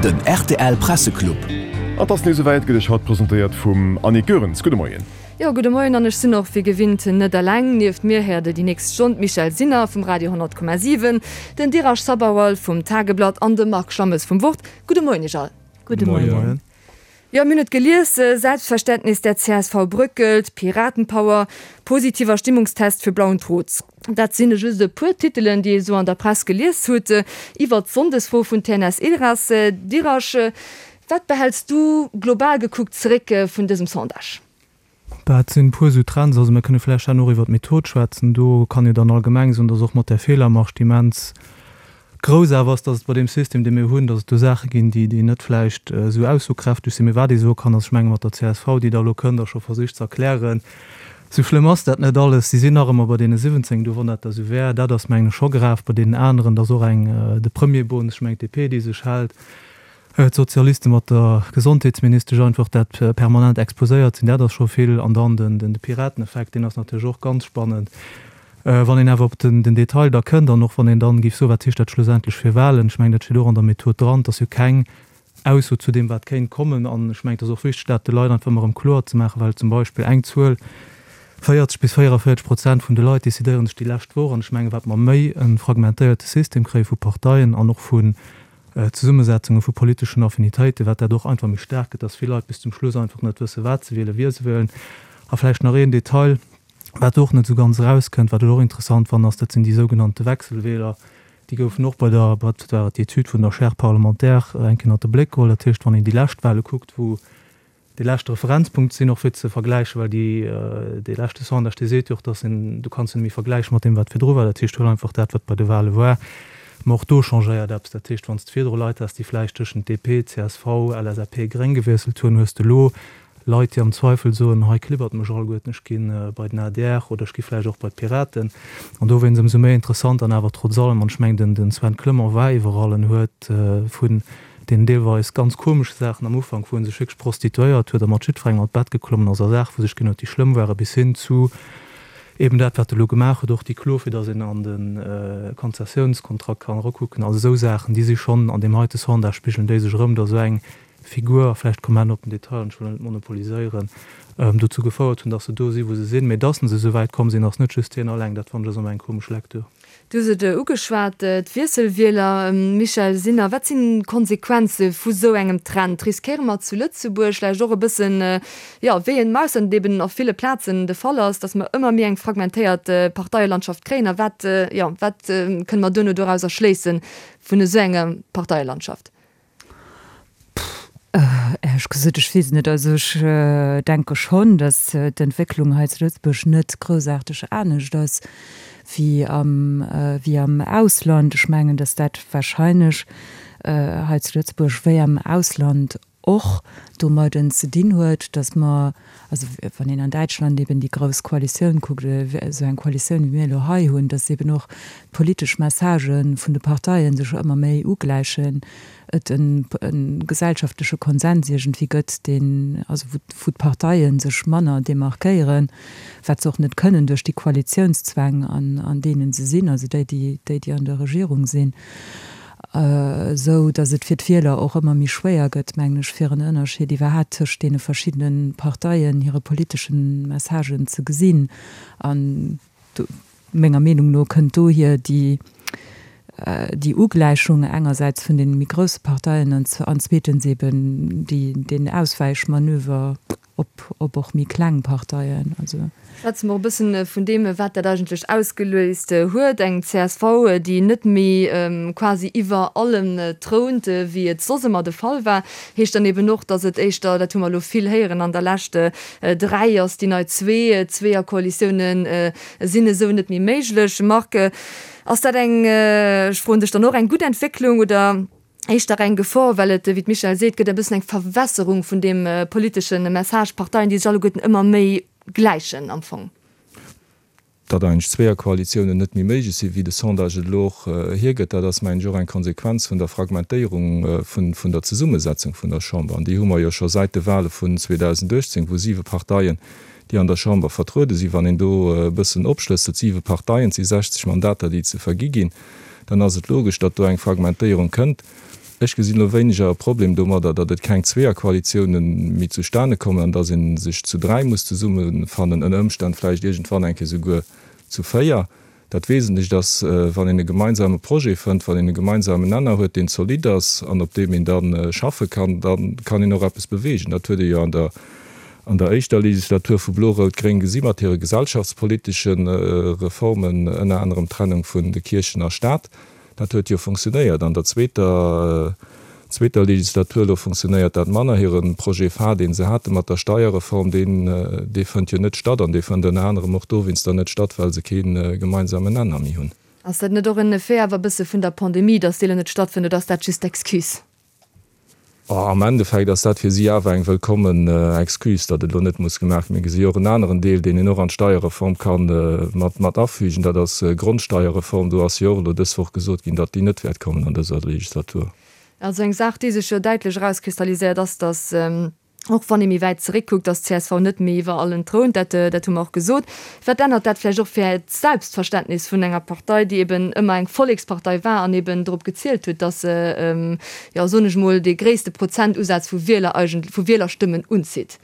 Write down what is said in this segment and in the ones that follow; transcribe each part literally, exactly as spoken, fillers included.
Den rtl Presseclub. An 't ass nees esouwäit, gëtt Iech haut presentéiert vum Annick Goerens. Gudde Moien. Jo, gudde Moien an ech sinn och wéi gewinnt net eleng. Nieft mir héiert der déi nächst Stonn d'Michèle Sinner vum Radio honnert Komma siwen, den Dheeraj Sabharwal vum Tageblatt an de Marc Schammes vum Wort. Gudde Moien Iech all. Gudde Moien. Jo, mir hunn et gelies, Selbstverständnis der C S V bröckelt, Piratenpower, positiver Stimmungstest für blauen Trotz. Dat sinn just e puer Titelen, déi ee sou an der Press gelies huet iwwert d'Sonndesfro vun T N S Ilras. Dheeraj, wat behäls du global gekuckt zeréck vun dësem Sondage? Dat sinn e puer esou Trends. Also mir kënne vläicht herno och iwwer d'Method schwätzen. Do kann een dann allgemeng soen, dass och mat där Feelermarge, déi immens grouss awer ass, dass et bei deem System, dee mir hunn, dass et do Saache ginn, déi, déi net vläicht esou aussokräfteg sinn. Mee wat ee soe kann, ass, ech menge mat der C S V, déi da elo kënnt a scho versicht ze erklären, esou schlëmm ass dat net alles, si sinn nach ëmmer bei deene siwwenzéng, do wann dat da esou wär, dat ass mengen ech scho grav. Bei deenen aneren, dass och eng, de Premierbonus, ech mengen d'D P, déi sech hält, d'Sozialiste mat der Gesondheetsministesch einfach dat permanent exposéiert sinn, dat ass scho vill. An dann den, den, de Pirateneffekt, deen ass natierlech och ganz spannend. Wann een awer op den, den Detail da kënnt an och wann een dann géif soen, wat heescht dat schlussendlech fir Wahlen, ech mengen, dat steet och an der Method dran, dass jo keng Ausso zu deem, wat kéint kommen. An ech mengen, et ass och wichteg, dat de Leit einfach ëmmer erëm kloer ze maachen, well zum Beispill eng Zuel, véierzeg bis véierevierzeg Prozent vun de Leit decidéieren sech déi lescht Woch. An ech mengen, wat mer méi e fragmentéierte System kréie vu Parteien an och vun Zesummesetzunge vu politeschen Affinitéiten, wat dat och einfach méi staark gëtt, dass vill Leit bis zum Schluss einfach net wësse, wat se wielen, wie se wielen. A vläicht nach een Detail, wat och net esou ganz erauskënnt, wat ech och interessant fannen, ass, dat sinn déi sougenannte Wechselwähler. Déi goufen och bei der, wat war et, déi Etüd vun der Chaire parlementaire eng Kéier ënnert de Bléck geholl. Dat heescht, wann een déi lescht Wahle kuckt, wou déi leschte Referenzpunkt sinn, och fir ze vergläichen, well déi, dee leschte Sondage, dee seet jo och, dass een, du kanns jo net méi vergläichen mat deem, wat virdru war. Dat heescht, huel einfach dat, wat bei de Wahle war. Ma och do changéiert eppes. Dat heescht, wann s de virdru Leit has, déi vläicht tëschent D P, C S V, L S A P, Gréng gewiesselt hunn, hues de elo Leit, déi am Zweifel soen, hei klibbert mech alleguerten, ech ginn bei den A D R oder ech gi vläicht och bei d'Piraten. An dowéinst ëmsou méi interessant an awer trotz allem, an ech mengen, den, den Sven Clement war iwwerall en huet vun den deelweis ganz komesche Saachen am Ufank, wou en sech wierklech prostituéiert huet a mat jiddwerengem an d'Bett geklommen ass, a Saachen, wou sech ginn huet, déi schlëmm waren, bis hin zu eben dat, wat e elo gemaach huet, och déi Klo, fir datt een an de Konzessiounskontrakt kann erakucken. Also esou Saachen, déi si schonn an deem heite Sondage spigelen déi sech erëm, datt esou eng Figur, vläicht kommen wir op den Detail, an ech wëll net monopoliséieren, dozou gefouert hunn, datt se do sinn, wou se sinn. Mee datt se esou wäit komm sinn, ass net just hien alleng. Dat fand ech ass ëmmer eng komesch Lektür. Du hues et ugeschwat, d'Wiesselwieler, Michèle Sinner, wat sinn d'Konsequenze vu sou engem Trend? Riskéiere mer zu Lëtzebuerg vläicht och e bëssen, jo, wéi en Ausland eben op ville Plazen de Fall ass, datt mer ëmmer méi eng fragmentéiert Parteielandschaft kréien? A wat, jo, wat kënne mer duerno dorauser schléissen vun esou enger Parteielandschaft? Ehrlich gesagt, ich weiß nicht. Also ich denke schon, dass d'Entwécklung hei zu Lëtzebuerg net großartig anescht ass wie am, wie am Ausland. Ich mengen, dass dat wahrscheinlich hei zu Lëtzebuerg wéi am Ausland och domadden ze dinn huet, dass man, also wann een an Däitschland eben déi grouss Koalitioun kuckt, esou eng Koalitioun wéi mir elo hei hunn, dass eben och d'politesch Messagen vun de Parteien sech ëmmer méi ugläichen, et en, en gesellschaftleche Konsens irgendwie gëtt, deen, also wou, wou d'Parteien sech manner demarkéieren, wat se och net kënnen duerch déi Koalitiounszwäng, an, an deenen se sinn, also déi, déi, déi, déi an der Regierung sinn. Sou dass et fir d'Wieler och ëmmer méi schwéier gëtt, mengen ech, fir en Ënnerscheed iwwerhaapt tëscht deene verschiddenen Parteien hire politeschen Messagen ze gesinn. An do, menger Meenung no kënnt dohier déi, déi Ugläichung engersäits vun den méi grousse Parteien an z-, an zweetens eben déi, den Auswäichmanöver op, op och méi kleng Parteien. Also Schwätze mer e bëssen vun deem, wat dat eigentlech ausgeléist huet. Eng C S V, déi net méi quasi iwwer allem thrount, wéi et soss ëmmer de Fall war, heescht dann eben och, datt et éischter, dat hu mer elo vill héieren an der lescht, dräi ass déi nei zwee, Zweeërkoalitiounen sinn esou net méi méiglech. Marc, ass dat eng, ech froen dech dann och, eng gutt Entwécklung oder éischter eng Gefor, well et, wéi d'Michèle seet, gëtt e bëssen eng Verwässerung vun dem politeschen Message, Parteien, déi sech alleguerten ëmmer méi gläichen am Fong? Datt eigentlech Zweeërkoalitiounen net méi méiglech sinn, wéi de Sondage et elo och hiergëtt, dat ass, mengen ech, och eng Konsequenz vun der Fragmentéierung vun, vun der Zesummesetzung vun der Chamber. An déi hu mer jo scho säit de Wahle vun zweedausendachtzehn, wou siwe Parteien, déi an der Chamber vertruede sinn, wann een do e bëssen opschlësselt, siwe Parteien, si sechzeg Mandater, déi ze vergi ginn, dann ass et logesch, datt do eng Fragmentéierung kënnt. Ech gesinn elo wéineger e Problem domadder, datt et keng Zweeërkoalitiounen méi zustane kommen an datt ee sech zu dräi muss zesummefannen, ënner Ëmstänn vläicht iergendwann eng Kéier souguer zu véier. Dat Wesentlecht ass, wann een e gemeinsame Projet fënnt, wann een e gemeinsamen Nenner huet, deen zolidd ass an op deem een da schaffe kann, da kann een och eppes beweegen. Dat huet ee jo an der an der éischter Legislatur vu Blo-Rout-Gréng gesi mat hire gesellschaftspolitesche Reformen, ënner anerem d'Trennung vun de Kierchen a Staat. Dat huet jo funktionéiert. An der zweeter zweeter Legislatur elo funktionéiert dat manner. Hire Projet phare, dee se hate mat der Steierreform, deen dee fënnt jo net statt. An dee fënnt ënner anerem och dowéinster net statt, well se kee gemeinsamen Nenner méi hunn. Ass dat net och en Effet awer e bësse vun der Pandemie, datt déi elo net stattfënnt, oder ass dat just d'Excuse? Am Endeffekt ass dat fir si awer eng wëllkommen Excuse, datt et elo net muss gemaach ginn. Mir gesi jo och en aneren Deel, deen een och an d'Steierreform ka mat afügen, dat ass d'Grondsteierreform. Do ass jo och elo dës Woch gesot ginn, datt déi net wäert kommen an dëser Legislatur. Also eng Saach, déi sech jo däitlech erauskristalliséiert, ass, datt, Och wann ee méi wäit zeréckkuckt, ass d'CSV net méi iwwer allen Troun, dat dat hu mer och gesot. Wat ännert dat vläicht och fir d'Selbstverständnis vun enger Partei, déi eben ëmmer eng Vollekspartei war an eben drop gezielt huet, datt se, jo soen ech mol, dee gréisste Prozentusaz vu Wieler eigentlech, vu Wielerstëmmen unzitt?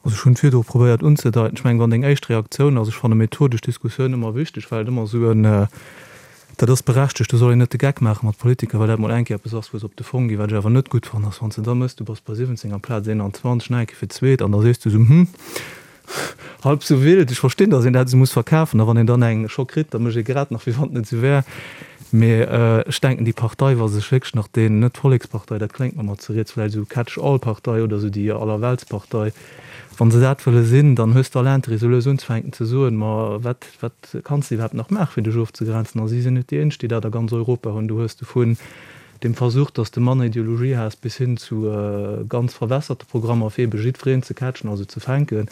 Also ech hunn virdru probéiert unzedeiten, ech mengen, wann deng éischt Reaktioun ass, ech fanne methodesch Diskussioun ëmmer wichteg, well et ëmmer esou en, Dat ass berechtegt, do soll een net de Geck maache mat Politiker, well dat mol eng Kéier eppes ass, wou se op de Fong ginn. Wat ech awer net gutt fannen, ass, wann s de da mëss, du bass bei siwwenzéng amplaz eenanzwanzeg, nach eng Kéier fir d'zweet, an da sees du esou, hm, halb sou wild. Ech verstinn, datt een dat esou muss verkafen, a wann een dann eng scho kritt, da mécht ee grad nach, wéi wann et net esou wär. Mee ech denken, déi Partei, wa se sech wierklech nach deen, net d'Vollekspartei, dat kléngt mer mat ze riets, vläicht esou Catch-all-Partei oder esou déi Allerweltspartei, Wa se dat wëlle sinn, dann hues de all Intérêt, esou lues unzefänken ze soen, Ma wat, wat kanns de iwwerhaapt nach maachen, fir dech ofzegrenzen? A si sinn net déi Éinescht, déi dat a ganz Europa hunn. Du hues de vun dem Versuch, datt s de manner Ideologie has, bis hin zu ganz verwässerte Programmer, fir ebe jiddwereen ze catchen, also ze fänken.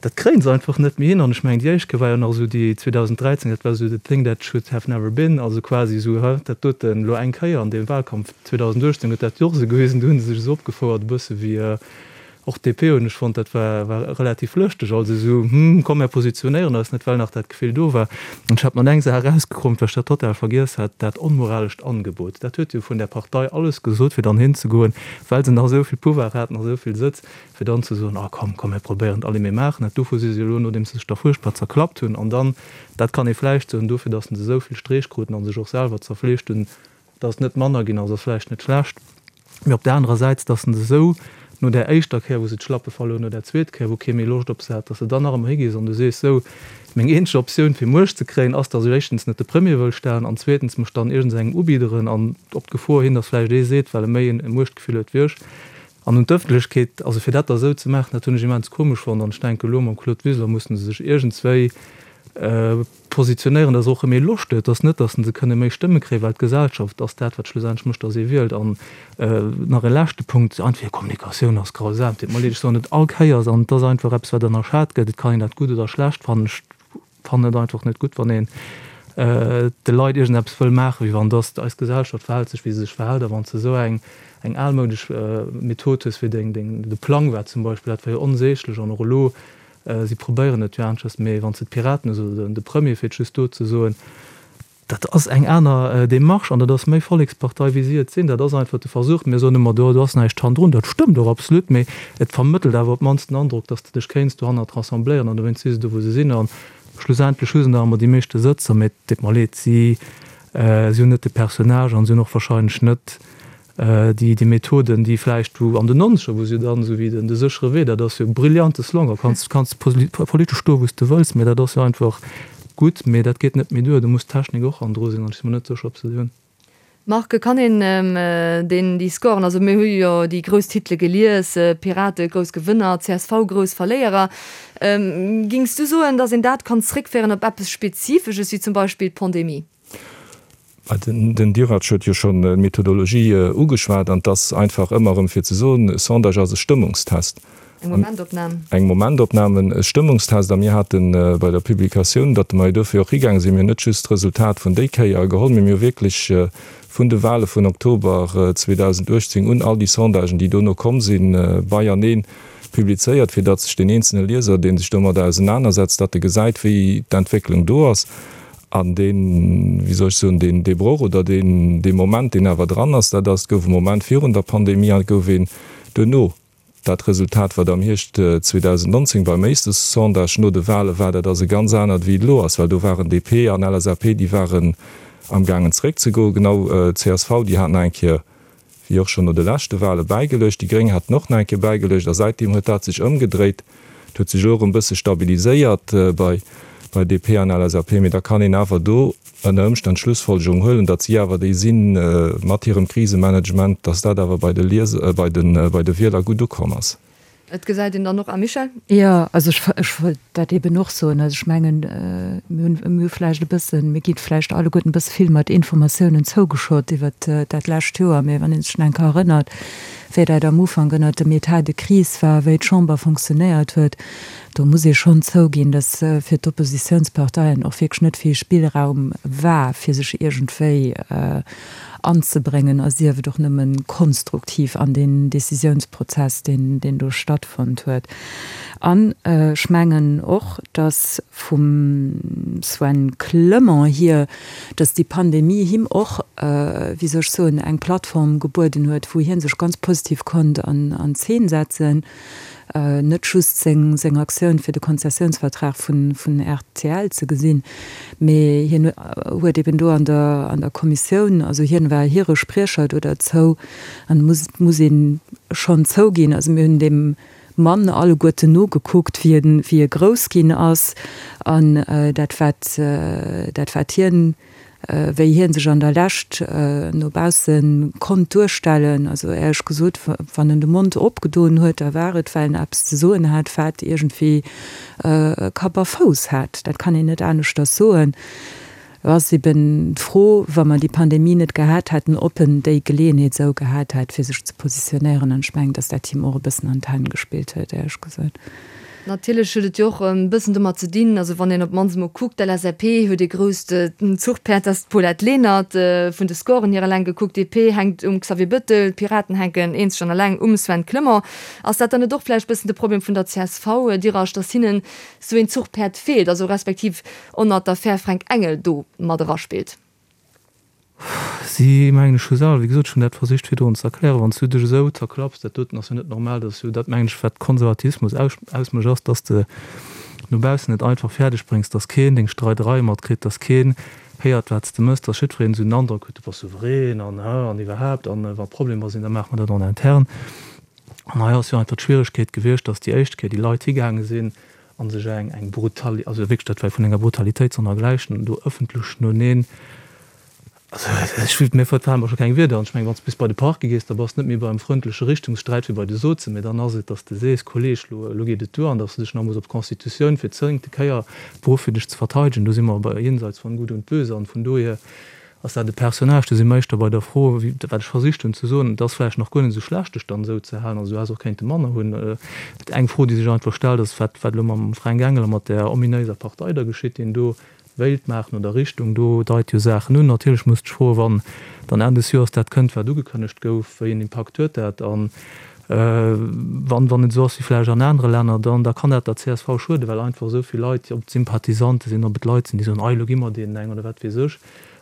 Dat kréie se einfach net méi hin. An ech mengen, déi éischt Kéier war jo nach esou déi zweedausenddräizéng, dat war esou the thing that should have never been, also quasi esou, hä, dat doten elo eng Kéier an deem Wahlkampf zweedausenduechtzéng huet dat jo och esou gewisen, do hu se sech esou opgefouert e bësse wéi, Och d'DP hunn ech fonnt, dat war war relativ lëschteg, also esou, hm, komm mär positionéieren eis net, well nach dat Gefill do war. An ech hat mer eng Saach erausgekrompt, well ech dat total vergiess hat, dat onmoralescht Angebot. Dat huet jo vun där Partei alles gesot, fir dann hinzegoen, well se nach esou vill Pouvoir haten a esou vill Sëtz, fir dann ze soen, ah komm, komm mär probéieren et, allez mir maachen et. Dovu si se elo, nodeems se sech da fuerchtbar zerklappt hunn, an dann, dat kann ee vläicht soen, dofir, datt se esou vill Streech kruten a sech och selwer zerfleegt hunn, datt et net manner ginn ass, ass vläicht net schlecht. Mee op där anerer Säit, datt se esou no där éischter Kéier, wou se d'Schlappe verluer hunn, no där zweet Kéier, wou kee méi Loscht op se hat, datt se dann nach ëmmer higees an du sees, Sou, meng eenzeg Optioun, fir Muecht ze kréien, ass, datt ech éischtens net de Premier wëll stellen an zweetens mech dann iergendsengem ubidderen an op d'Gefor hin, datt vläicht ee seet, well e méi e Muechtgefill huet wéi ech. An un d'Ëffentlechkeet, also fir dat da esou ze maachen, dat hunn ech immens komesch fonnt an ech denken, elo mam Claude Wiseler mussen se sech iergendswéi positionéieren, dass och méi Loscht huet, dass net, dass se kënne méi Stëmme kréien, well d'Gesellschaft ass dat, wat schlussendlech mécht, dass ee wielt. An nach e leschte Punkt, einfach hir Kommunikatioun ass grausam. Deet mer leed, ech soen et all Kéiers, an et ass einfach eppes, wat ënnerschat gëtt. Et kann een dat gutt oder schlecht fannen. Ech fannen et einfach net gutt, wann een de Leit iergendeppes wëll maachen, wéi wann dass eis Gesellschaft verhält sech, wéi se sech verhält, a wann s de esou eng eng almoudesch Method hues, wéi deng deng de Plang war zum Beispill, dat war jo onsäglech. An och elo Si probéieren et jo aneschters, mee wann s de d'Piraten hues oder de Premier, fir et just do ze soen, dat ass eng aner Démarche an dat ass méi Vollekspartei, wéi si et sinn. Dat ass einfach de Versuch. Mir soen ëmmer, do ass näischt hannendrun. Dat stëmmt och absolut, mee et vermëttelt awer op d'mannst den Androck, datt s de dech kéints dohannert rassembléieren an dowéinst si se do, wou se sinn. A schlussendlech hu se nach ëmmer déi meeschte Sëtzer, mee et deet mer leed, si hunn net de Personnage an si hunn och wahrscheinlech net Déi, déi Methoden, déi vläicht wou an den Nonzeger, wou se dann esou wéi den de séchere Wee, dat ass jo e brillante Slogan, kanns, kanns politesch stoe wou s de wëlls, mee dat ass jo einfach gutt, mee dat geet net méi duer, do muss d'Technik och hannendru sinn an ech si mer net sécher, ob se déi hunn. Marc, kann een deen, déi Scoren, also mir hu jo déi grouss Titele gelies, Pirate grouss Gewënner, csv grouss Verléierer, gings du soen, datt een dat kann zréckféieren op eppes Spezifesches, wéi zum Beispill d'Pandemie? Den Dirac huet jo schonn d'Methodologie ugeschwat, an et ass einfach ëmmer erëm fir ze soen, e Sondage ass e Stëmmungstest. Eng Momentopnam. Eng Momentopnam, e Stëmmungstest. A mir hate bei der Publikatioun, datt mer jo dofir och higaange sinn, mir hunn net just d'Resultat vun déi Kéier geholl, mee mir hu wierklech vun de Wahle vun Oktober zweedausenduechtzéng un all déi Sondagen, déi dono komm sinn, beienee publizéiert, fir datt sech deen eenzelne Lieser, dee sech domadder ausenanersetzt, datt e gesäit, wéi d'Entwécklung do ass. An deen, wéi soll ech soen, deen, dee Broch oder deen, dee Moment, deen awer dran ass, dat ass, et gouf e Moment virun der Pandemie an et gouf een duerno. Dat Resultat, wat am Hierscht zweedausendnonzéng beim éischte Sondage no de Wahle war, dat ass e ganz anert, wéi et elo ass, well do waren D P an L S A P, déi waren amgaangen zeréckzegoen, genau C S V, déi haten nach eng Kéier, wéi och schonn no de leschte Wahle bäigeluecht, déi Gréng haten och nach eng Kéier bäigeluecht a säitdeem huet dat sech ëmgedréit. Et huet sech elo erëm e bësse stabiliséiert bei bei D P an L S A P, mee da kann een awer do ënner Ëmstänn d'Schlussfolgerung huelen, datt si awer déi sinn mat hirem Krisemanagement, datt dat awer bei de Lieser, bei de bei de Wieler gutt ukomm ass. Et gesäit een dann och, a Michèle? Jo, also ech ech wollt dat eeben och soen. Also ech mengen, mir hunn mir hu vläicht e bëssen, mir gi vläicht alleguerten e bësse vill mat Informatiounen zougeschott iwwert dat lescht Joer, mee wann ee sech nach eng Kéier erënnert, wéi dat am Ufank ënnert dem État de crise war, wéi d'Chamber fonctionnéiert huet, do muss ee schonn zouginn, dass fir d'Oppositionsparteien och wierklech net vill Spillraum war, fir sech iergendwéi anzebréngen, a sief et och nëmme konstruktiv an deen Décisionsprozess, deen, deen do stattfonnt huet. An ech mengen och, dass vum Sven Clement hier, dass déi Pandemie him och, wéi soll ech soen, eng Plattform gebueden huet, wou hie sech ganz positiv konnt an, an Zeen setzen, net just seng, seng Aktioun fir de Konzessionsvertrag vun, vun R T L ze gesinn, mee hien huet eben do an der, an der Kommissioun, also hien war hire Spriecher do derzou, an muss, muss ee schonn zouginn, also mir hunn deem Mann alleguerten nogekuckt, wéi en, wéi e grouss ginn ass, an dat wat, dat wat hien, wéi hien sech an der Lescht no bausse konnt duerstellen, also éierlech gesot, wann en de Mond opgedoen huet, da war et, well en eppes ze soen hat, wat iergendwéi Kapp a Fouss hat. Dat kann een net aneschters soen. Et ass eben d'Fro, wa mer déi Pandemie net gehat hätten, ob en déi Geleeënheet esou gehat hätt, fir sech ze positionéieren. An ech mengen, datt dat him och e bëssen an d'Hänn gespillt huet, éierlech gesot. Natierlech huet et jo och e bëssen domat ze dinn, also wann een op d'mannst emol kuckt, d'L S A P huet ee grousst Zuchpäerd, dat ass d'Paulette Lenert, vun de Scoren hier eleng gekuckt, D P hänkt um Xavier Bettel, d'Piraten hänken eenzeg an eleng um Sven Clement. Ass dat dann net och vläicht bëssen de Problem vun der C S V, Dirasch, datt hinnen esou een Zuchpäerd feelt, also respektiv och nach d'Affär Fränk Engel do mat eraspillt? Si mengen ech hu selwer, wéi gesot, ech hunn dat versicht virdrun ze erklären, wann s du dech esou zerklapps, dat doten ass jo net normal, dat ass jo dat, mengen ech, wat Konservatismus ausmécht, ass, dass de no baussen et einfach fäerdeg bréngs, dass keen deng Streiderei matkritt, dass keen héiert, wat s de méchs, dass jiddwereen esou den Androck huet, du bass souverän an an iwwerhaapt an wa Problemer sinn, da maache mer dat en interne. An hei ass jo einfach d'Schwieregkeet gewiescht, dass déi éischt Kéier déi Leit higaange sinn a sech eng eng brutal, also wierklech dat war vun enger Brutalitéit sonnergläichen, do ëffentlech noeneen, also ech mir verfalen mer scho keng Wierder an. Ech mengen, wann s de bis bei de Parquet gees, da bass de net méi beim frëndleche Richtungssträit wéi bei de Sozen, mee dann ass et, dass de sees, Kolleg, lo lo geet et duer, an dass de dech nach muss op d'Constitutioun fir d'zéngte Kéier beruff fir dech ze verteidegen. Do si mer bei jenseits von Gut und Böse an vun dohier ass dat e Personnage, do si mer éischter bei der Fro, wéi wat ech versicht hunn ze soen, et ass vläicht nach guer net esou schlecht dech dann esou ze halen, also du häss och kéinte manner hunn. Eng Fro, déi sech einfach stellt, ass, wat wat elo mam Fränk Engel a mat där ominéiser Partei da geschitt, deen do wéilt maachen oder Richtung, do deit jo Saachen un. Natierlech muss dech froen, wann dann Enn des Joers dat kënnt, wat ugekënnegt gouf, wéi en Impakt huet dat? An wann wann et esou ass wéi vläicht an anere Länner, dann da kann dat der C S V schueden, well einfach esou vill Leit, ob et Sympathisante sinn, ob et Leit sinn, déi soen, ei elo gi mer deenen eng oder wat weess ech.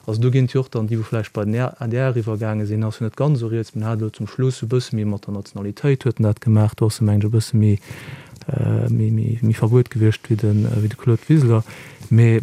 Also do ginn et jo och dann déi, wou vläicht bei den A D R iwwergaange sinn, ass jo net ganz esou riets, mä en hat elo zum Schluss e bësse méi mat der Nationalitéit huet en dat gemaach, do ass e mengen ech e bësse méi méi méi méi verbuet gewiescht wéi de wéi de Claude Wiseler. Mee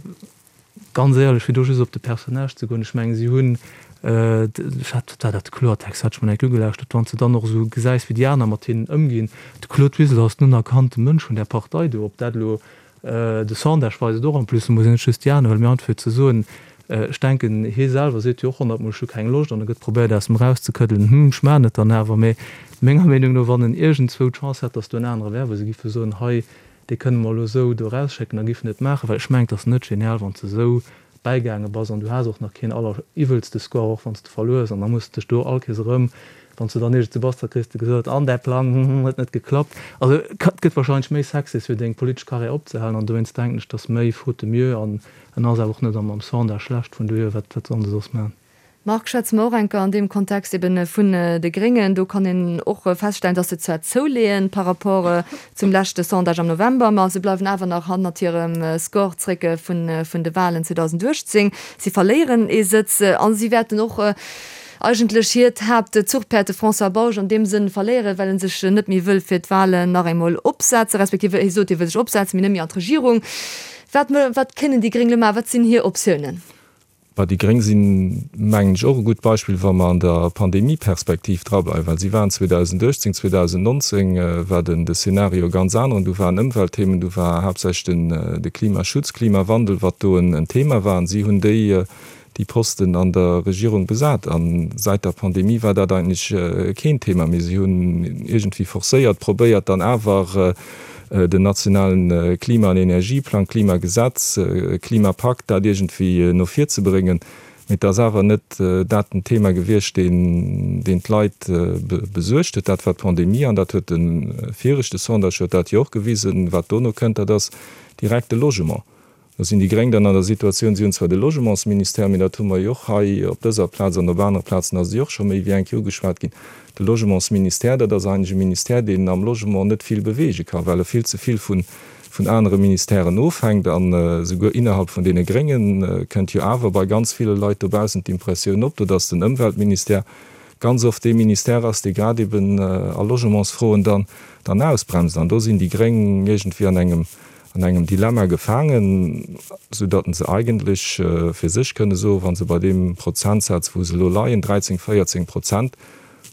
ganz éierlech, fir do just op de Personnage ze goen, ech mengen, si hunn, ech hat, wat war dat, de Kloertext hat ech mer enk ugelauschtert, wann s de dann och esou gesäis, wéi déi aner mat hinnen ëmginn, de Claude Wiseler ass den unerkannte Mënsch vun där Partei do, ob dat elo, de Sondage weist et och en plus, muss een net just déi aner huelen, mee einfach fir ze soen, ech denken, hie selwer seet jo och honnertmol, ech hu keng Loscht, an e gëtt probéiert aus em erauszekëddelen, hm, ech maachen et dann awer, mee menger Meenung no, wann en iergendzwou d'Chance hätt, datt do en anere wär, wou se giffe soen, hei, dee kënne mer elo esou do erausschécken, da giff en et maachen, well ech mengen, et ass net genial, wann s de esou bäigaange bass an du has och nach keen alleriwwelste Score, och wann s de verluers, an da muss de dech do all Kees erëm, wann s de dann iergendwou bass, da kriss de gesot, an däi Plang, hm, huet net geklappt. Also et gëtt wahrscheinlech méi sexy, fir deng politesch Karriär opzehalen, an dowéinst denken ech, dass méi faute de mieux, an en ass awer och net am Sondage schlecht, vun dohier, wat wat soll se soss maachen? Marc, schwätze mer och eng Kéier an deem Kontext eben vun de Gréngen. Do kann een och feststellen, dass se zwar zouleeën par rapport zum leschte Sondage am November, ma se bleiwen awer nach hannert hirem Score zréck vun de Wahlen zweedausendachtzéng. Si verléieren ee Sëtz a si wäerten och eigentlech hiert Haaptzuchpäerd, de François Bausch, an deem Sënn verléieren, well en sech net méi wëll fir d'Wahlen nach eemol opsetzen, respektiv hie sot, hie wëll sech opsetzen, mee net méi an d'Regierung. Wat, wat kënnen déi Gréng elo maachen? Wat sinn hir Optiounen? Bah, déi Gréng sinn, mengen ech, och e gutt Beispill, wa mer an der Pandemieperspektiv drableiwen, well si waren zweedausendachtzéng, zweedausendnonzéng war den de Szenario e ganz aneren, du waren Ëmweltthemen, du war haaptsächlech den de Klimaschutz, Klimawandel, wat do en Thema war, an si hunn déi déi Posten an der Regierung besat. A säit der Pandemie war dat eigentlech keen Thema méi. Si hunn iergendwéi forcéiert probéiert, dann awer den nationalen Klima an Energieplang, Klimagesetz, Klimapakt, dat iergendwéi no vir ze bréngen. Mee et ass awer net dat den Thema gewiescht, deen deen d'Leit besuergt huet. Dat war d'Pandemie an dat huet de viregte Sondage huet dat jo och gewisen. Wat dono kënnt, dat ass direkt de Logement. Do sinn déi Gréng dann an der Situatioun, si hunn zwar de Logementsministère, mee dat hu mer jo och hei op dëser Plaz an op anere Plazen ass et jo och scho méi wéi eng Kéier ugeschwat ginn, de Logementsministère, dat ass eigentlech e Ministère, deen am Logement net vill beweege ka well e vill ze vill vun vun anere Ministèren ofhänkt. An esouguer innerhalb vun deene Grénge kënnt jo awer bei ganz ville Leit dobaussen d'Impressioun op, do dass den Ëmweltministère ganz oft dee Ministère ass, dee grad eben a Logementsfroen dann dann ausbremst. An do sinn déi Gréng iergendwéi an engem an engem Dilemma gefaangen, soudatt se eigentlech fir sech kënne soen, wa se bei deem Prozentsaz, wou se elo leien, dräizéng, véierzéng Prozent,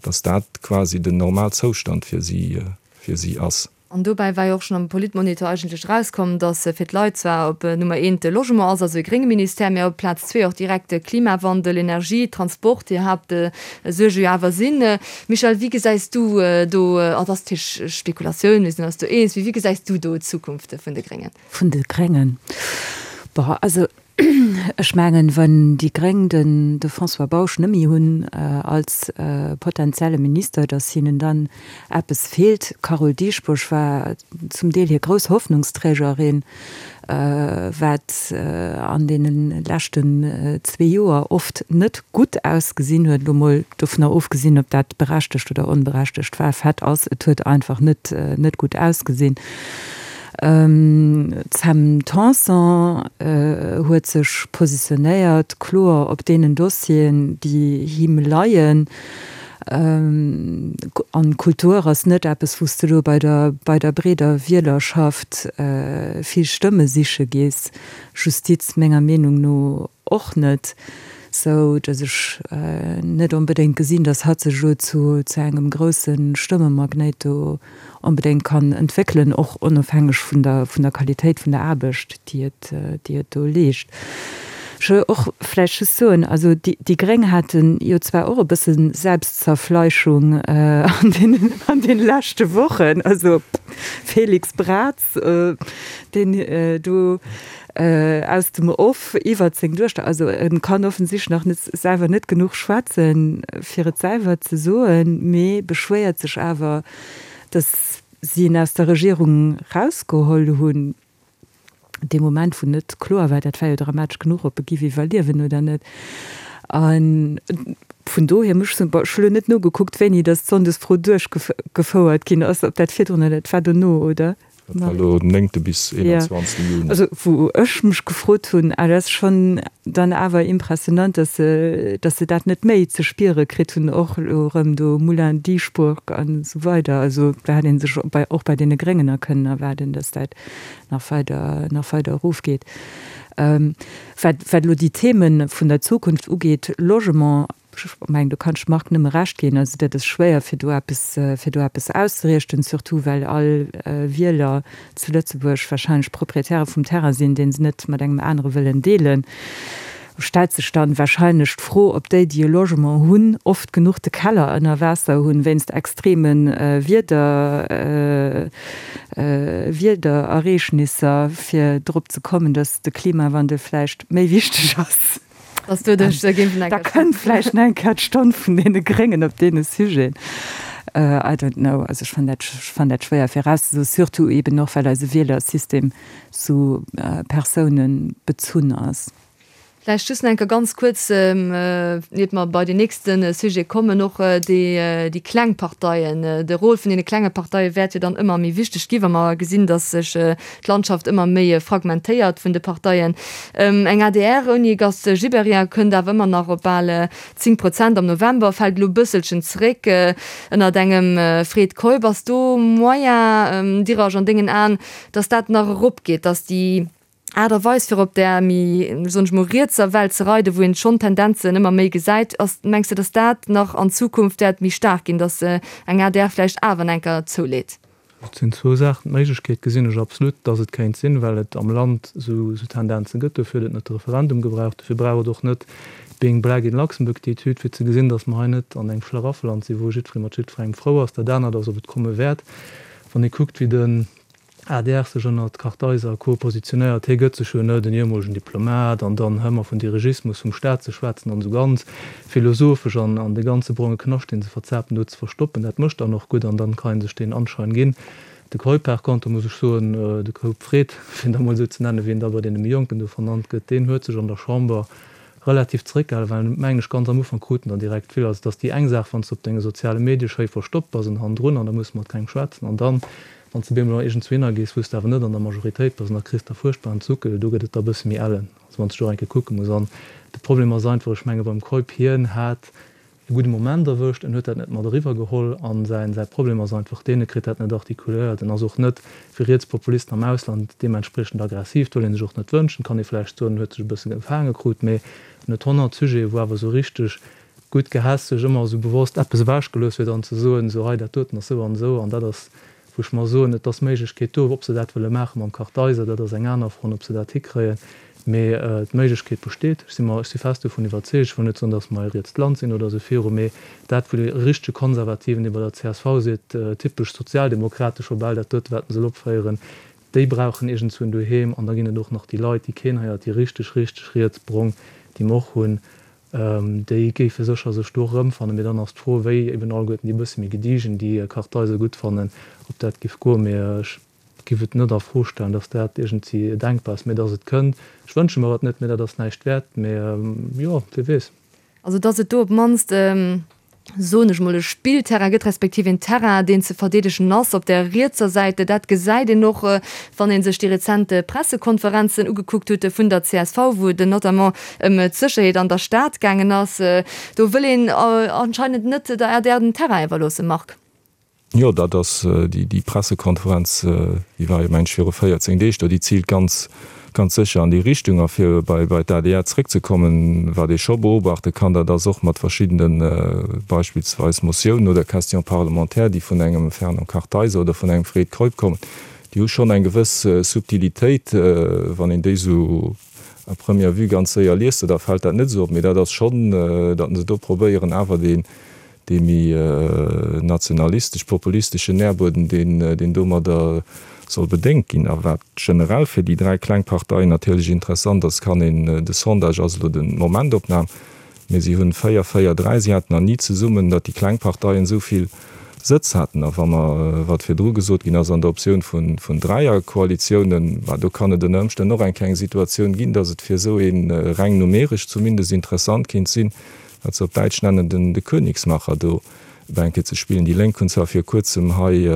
datt dat quasi den Normalzoustand fir si, fir si ass. An dobäi war jo och schonn am Politmonitor eigentlech erauskomm, datt fir d'Leit zwar op Nummer eent de Logement ass, also e grénge Ministère, mä op Plaz zwee och direkt de Klimawandel, Energie, Transport déi Haaptsuerge jo awer sinn. Michèle, wéi gesäis du do, an et ass natierlech Spekulatioun, mir sinn eis do eens, mee wéi gesäis du do d'Zukunft vun de Gréngen? Vun de Gréngen? Bon, also ech mengen, wann déi Gréng den de François Bausch nëmmi hunn als potentielle Minister, datt hinnen dann eppes feelt. D'Carole Dieschbourg war zum Deel hir grouss Hoffnungsträgerin, wat an deene leschten zwee Joer oft net gutt ausgesinn huet, elo mol dovunner ofgesinn, ob dat berechtegt oder onberechtegt war. Fait ass, et huet einfach net net gutt ausgesinn. D'Sam Tanson huet sech positionéiert, kloer op deenen Dossieren, déi him leien. An Kultur ass net eppes, wou s de elo bei der, bei der breeder Wielerschaft vill Stëmme siche gees. Justiz menger Meenung no och net, sou datt ech net onbedéngt gesinn, datt hatt sech elo zu, zu engem grousse Stëmmemagnéit do onbedéngt kann entwéckelen, och onofhängeg vun der, vun der Qualitéit vun der Aarbecht, déi et, déi et do leescht. Ech wëll och vläicht just soen, also déi, déi Gréng hate jo zwar och e bësse Selbstzerfleischung an deenen, an deene leschte Wochen, also Félix Braz, deen do aus dem Off iwwert seng Duechter, also e kann offensichtlech nach net selwer net genuch schwätzen, fir et selwer ze soen, mee beschwéiert sech awer, datt si en aus der Regierung rausgeholl hunn. Dee Moment, wou net kloer war, dat war jo dramatesch genuch, ob e giff iwwerliewen oder net. A vun dohier muss ech soen, bon, ech hu lo net nogekuckt, wéini datt d'Sonndesfro duerchgefouert ginn ass, ob dat virdrun oder, et war dono, oder? Dat war elo den néngte bis eenanzwanzegste Juni. Also wou ech mech gefrot hunn, ah, dat ass schonn dann awer impressionant, datt se, datt se dat net méi ze spiere kritt hunn, och elo erëm do Moulin Dieschbourg an esou weider. Also do hätt ee sech bei, och bei deene Gréngen a kënnen erwaarden, datt dat nach weider, nach weider erofgeet. Wat, wat elo déi Themen vun der Zukunft ugeet, Logement, ech mengen, do kann ech dem Marc nëmme Recht ginn, also dat ass schwéier fir do eppes, fir do eppes auszeriichten, surtout well all Wieler zu Lëtzebuerg wahrscheinlech Proprietäre vum Terrain sinn, dee se net mat engem anere wëllen deelen. Stellt sech dann wahrscheinlech d'Fro, ob déi, déi e Logement hunn, oft genuch de Keller ënner Waasser hunn, wéinst extreme Wieder, Wiederereegnisser, fir drop ze kommen, dass de Klimawandel vläicht méi wichteg ass. Dass doduerch géifen eng. Da kënnt vläicht nach eng Kéier d'Stonn vun deene Gréngen op deene Sujeten. I don't know. Also ech fannen dat, ech fannen dat schwéier virauszesoen, surtout eeben och, well eise Wielersystem sou persounebezunn ass. Vläicht just nach eng Kéier ganz kuerz, iert mer bei deen nächste Sujet kommen, och déi, déi kleng Parteien. De Rôle vun deene klenge Parteie wäert jo dann ëmmer méi wichteg ginn, wa mer gesinn, datt sech d'Landschaft ëmmer méi fragmentéiert vun de Parteien. Eng adr ouni Gast Gibéryen kënnt awer ëmmer nach op bal zéng Prozent am November, fält elo e bësselchen zeréck ënnert engem Fred Keup. Ass do Moyen, Diras, an dengen Aen, datt dat nach eropgeet, datt déi Aart a Weis fir op där méi, soen ech mol, rietser Well ze reiden, wou een schonn Tendenzen ëmmer méi gesäit, ass, mengs de, datt dat nach an Zukunft wäert méi staark ginn, datt eng adr vläicht awer en enker zouleet? Et sinn zwou Saachen. D'Méiglechkeet gesinn ech absolut, datt et kéint sinn, well et am Land esou Tendenze gëtt. Dofir huet et net de Referendum gebraucht. Dofir brauch et och net d'Being Black in Luxembourg-Etüd, fir ze gesinn, datt mer hei net an engem Schlaraffeland sinn, wou jiddweree mat jiddwerengem frou ass. Dat anert ass, ob et komme wäert, wann ee kuckt, wéi de Adr sech ënnert Kartheiser a Co. Positionéiert, hie gëtt sech jo net en ehemolegen Diplomat an dann hëmmer vun Dirigismus vum Staat ze schwätzen an esou ganz philosophesch an an de ganze bronge Knascht deen se verzapen do ze verstoppen, dat mécht dann och gutt an dann kann een sech deen Anschein ginn. De Keup par contre muss ech soen, de Keup Fred, fir en da mol esou ze nennen, wéi en da bei deene méi Jonken do vernannt gëtt, deen huet sech an der Chamber relativ zeréckgehalen, well mengen ech ganz am Ufank krut en der direkt vill. Also et ass déi eng Saach wann s de op denge soziale Medie schéi verstoppt bass an hannendrun an da muss mat kengem schwätzen an dann wann s de bemol iergendzwou gees, wou s de awer net an der Majoritéit bass an da kriss de fuerchtbaren Zuckel, do gëtt et da e bësse méi ellen, also wann s de do eng Kéier kucke muss. An de Problem ass einfach, ech menge beim Keup, hien hat e gudde Moment erwëscht, en huet dat net mat eriwwer geholl an säin säi Problem ass einfach deen, e kritt dat net artikuléiert, en ass och net wéi Rietspopulisten am Ausland deementspriechend aggressiv, dat wëll ee sech och net wënschen, kann ee vläicht soen, en huet sech e bësse gefaange krut, mee en huet honnert Sujete wou awer esou richteg gutt gehässeg ëmmer esou bewosst eppes ewechgelooss huet an ze soen, esou hei dat doten ass esou an esou an dat ass wou ech mer soen, et ass d'Méiglechkeet do, ob se dat wëlle maache mam Kartheiser, dat ass eng aner Fro an ob se dat hikréien, mee d'Méiglechkeet besteet. Ech si mer, ech si fest dovun iwwerzeegt, ech wëll net soen, datt mer e rietst Land sinn oder esou viru, mee dat wou de richtege Konservativen, dee bei der csv seet, typesch sozialdemokratesch, scho bal dat dote wat en soll opféieren, déi brauchen iergendzwou en Doheem an da ginn et och nach déi Leit, déi keen héiert, déi richteg, richteg rietsbrong, déi mer och hunn. Déi géife sécher sech do erëmfannen. Mee dann ass d'Fro, wéi eben alleguerten déi e bësse méi gediegen, déi Kartheiser gutt fannen, ob dat géif goen. Mee ech géif et net a Fro stellen, datt dat iergendwéi denkbar ass. Mee datt et kënnt, ech wënsche mer et net, mee dat ass näischt wäert. Mee jo, wie weess. Also datt et do op d'mannst soen ech mol, e Spillterrain gëtt, respektiv een Terrain, deen ze verdeedegen ass op der rietser Säit. Dat gesäit een och, wann ee sech déi rezent Pressekonferenzen ugekuckt huet vun der csv, wou et notamment ëm d'Sécherheet an der Stad gaangen ass. Do wëll een anscheinend net der adr den Terrain iwwerloossen, Marc. Jo, dat ass déi Pressekonferenz, déi war jo, mengen ech, viru véierzéng Deeg do, déi ziilt ganz, ganz sécher an déi Richtung. A fir bei d'ADR zréckzekommen, wat ee scho beobachte kann, dat ass och mat verschiddene beispillsweis Motiounen oder Questions parlementaires, déi vun engem Fernand Kartheiser oder vun engem Fred Keup kommen, déi hu schonn eng gewëss Subtilitéit, wann een déi esou à première vue ganz séier liest, da fält dat net esou op. Mee dat ass schonn, datt se do probéieren awer dee dee méi nationalistesch-populisteschen Nährbueden, deen domadder soll bedéngt ginn. A wat generell fir déi dräi kleng Parteien natierlech interessant ass, kann een, de Sondage ass elo de Momentopnam, mee si hunn véier, véier, dräi, si haten nach ni zesummen, datt déi kleng Parteien esou vill Sëtz haten. A wa mer, wat virdru gesot ginn ass, an der Optioun vun Dräierkoalitiounen, bah do kann et ënner Ëmstänn och eng kleng Situatioun ginn, datt et fir esou ee reng numeresch zumindest interessant kéint sinn, wat se op Däitsch nennen den de Königsmacher do Bänke ze spillen. Déi Lénk hunn zwar vir kuerzem hei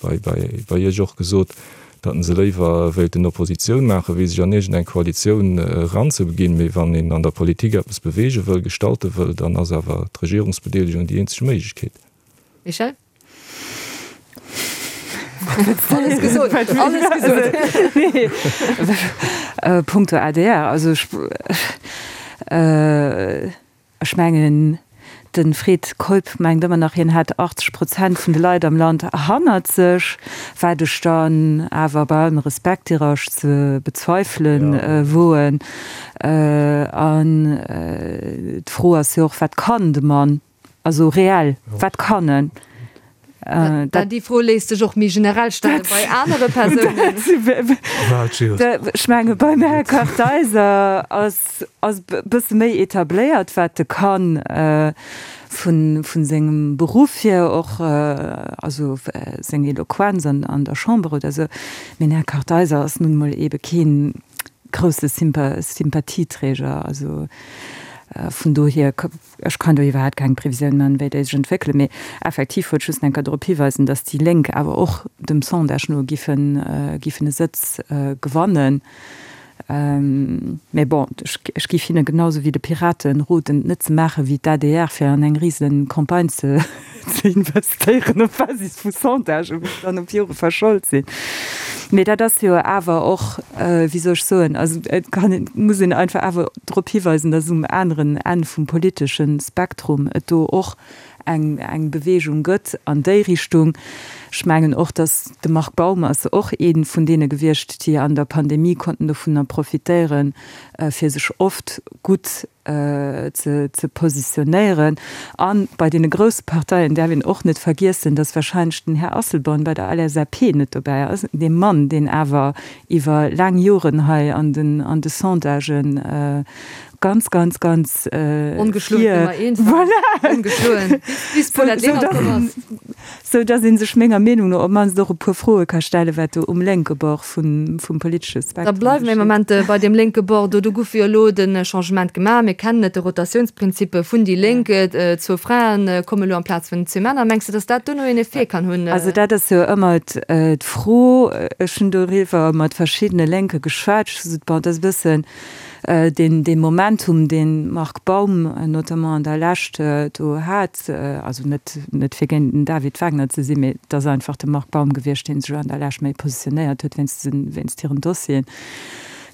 bei bei Iech och gesot, datt se léiwer wéilten Oppositioun maachen, wéi sech an iergend eng Koalitioun eranzebeginn. Mee wann een an der Politik eppes beweege wëll, gestalte wëll, dann ass awer d'Regierungsbedeelegung déi eenzeg Méiglechkeet. Michèle? Alles gesot, alles gesot. Nee, punkto adr, also ech, ech mengen, de Fred Keup mengt ëmmer nach, hien hätt achtzeg Prozent vun de Leit am Land hannert sech, wat ech dann awer bei allem Respekt dirach ze bezweifelen woen. An d'Fro ass jo och, wat kann de Mann? Also reell, wat kann en? Dat déi Fro léisst sech och méi generell stelle bei anere Persounen. Ech menge beim Här Kartheiser ass ass e bësse méi etabléiert, wat e kann vun vun sengem Beruff hier och, also seng Eloquenz an an der Chamber oder esou. Mee den Här Kartheiser ass nun emol eebe keen grousse Sympathieträger. Also vun dohier, ech kann do iwwerhaapt keng Previsioun man, wéi déi sech entwéckelen. Mee effektiv wollt ech just eng Kéier drop hiweisen, datt déi Lénk awer och dem Sondage no giffen, giffen e Sëtz gewannen. Mee bon, ech géif hinne genau sou wéi de Piraten roden, et net ze maache wéi d'ADR, fir an eng rise Campagne ze investéieren op Basis vu Sondagen, wou se dann op Jore verschold sinn. Mee dat ass jo awer och, wéi soll ech soen, also et kann een, muss een einfach awer drop hiweisen, datt um aneren Enn vum politesche Spektrum et do och eng, eng Bewegung gëtt an déi Richtung. Ech mengen och, datt de Marc Baum ass och ee vun deene gewiescht, déi an der Pandemie konnten dovunner profitéieren, fir sech oft gutt ze, ze positionéieren. A bei deene grousse Parteien däerf een och net vergiessen, datt wahrscheinlech den Här Asselborn bei der LSAP net dobäi ass, dee Mann, deen awer iwwer laang Joren hei an den, an de Sondagen ganz, ganz, ganz Ongeschloen vir, Nummer eent war. Voilà! Ongeschloen, bis, bis d'Paulette Lenert komm ass. Sou dass ee sech menger Meenung no op d'mannst och e puer Froe ka stellen, wat do um lénke Bord vum, vum politesche Da Spektrum bleiwe mir ee geschitt. Moment bei deem lénke Bord do. Do gouf jo elo de Changement gemaach. Mir kennen et, de Rotatiounsprinzip vun déi Lénk. Zwou Frae komme elo amplaz vun zwee Männer. Mengs de, dass dat duerno een Effet kann hunn? Also dat ass jo ëmmer d'Fro. Ech hunn doriwwer mat verschiddene Lénke geschwat. Ech hu gesot, bon, dat ass e bëssen deen, dee Momentum, deen Marc Baum notamment an der Lescht do hat, also net, net fir géint den David Wagner ze sinn, mee et ass einfach de Marc Baum gewiescht, dee sech an der Lescht méi positionéiert huet wéinst, wéinst hiren Dossieren.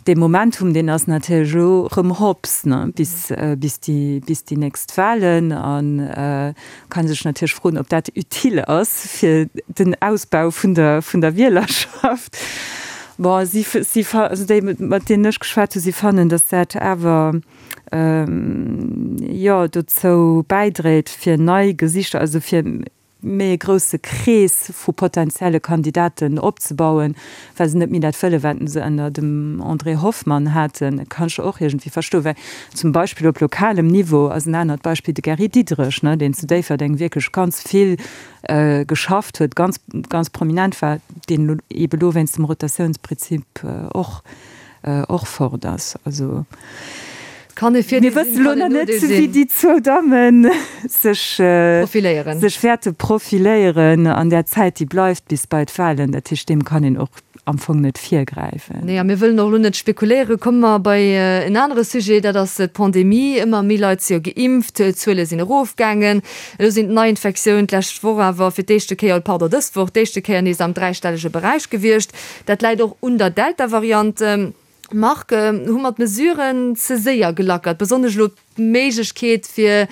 Dee Momentum, deen ass natierlech elo erëm hops, ne, bis, bis déi, bis déi nächst Wahlen. A kann sech natierlech froen, ob dat utile ass fir den Ausbau vun der, vun der Wielerschaft. Bon, si, si, also déi, mat deenen ech geschwat hunn, si fannen, datt dat awer, jo, dozou bäidréit, fir nei Gesichter, also fir méi e grousse Krees vu potenzielle Kandidaten opzebauen, well se net méi dat wëllen, wat se ënner dem André Hoffmann haten. Dat kann ech och iergendwéi verstoen, well zum Beispill op lokalem Niveau ass en anert Beispill de Gary Diderich, ne, deen zu Déifferdeng wierklech ganz vill geschafft huet, ganz, ganz prominent war, deen elo eebe lo wéinst dem Rotatiounsprinzip och, och fort ass. Also Kann e mir Virdeel wësse sinn, lo kann nach en net, Nodeel wéi sinn. déi zwou Damme sech, Profiléieren. sech wäerte profiléieren an där Zäit, déi bleift bis bei d'Wahlen. Dat heescht, deem kann een och am Fong net virgräifen. Nee, a mir wëllen och elo net spekuléieren. Komme mer bei en anere Sujet, dat ass d'Pandemie. Ëmmer méi Leit si jo geimpft, d'Zuele sinn erofgaangen. Elo sinn d'Neiinfektiounen d'lescht Woch awer fir d'éischte Kéier, pardon, dës Woch d'éischte Kéier nees am dräistellege Beräich gewiescht. Dat läit och un der Delta-Variant. Marc, hu mer d'Mesuren ze séier gelackert, besonnesch elo d'Méiglechkeet fir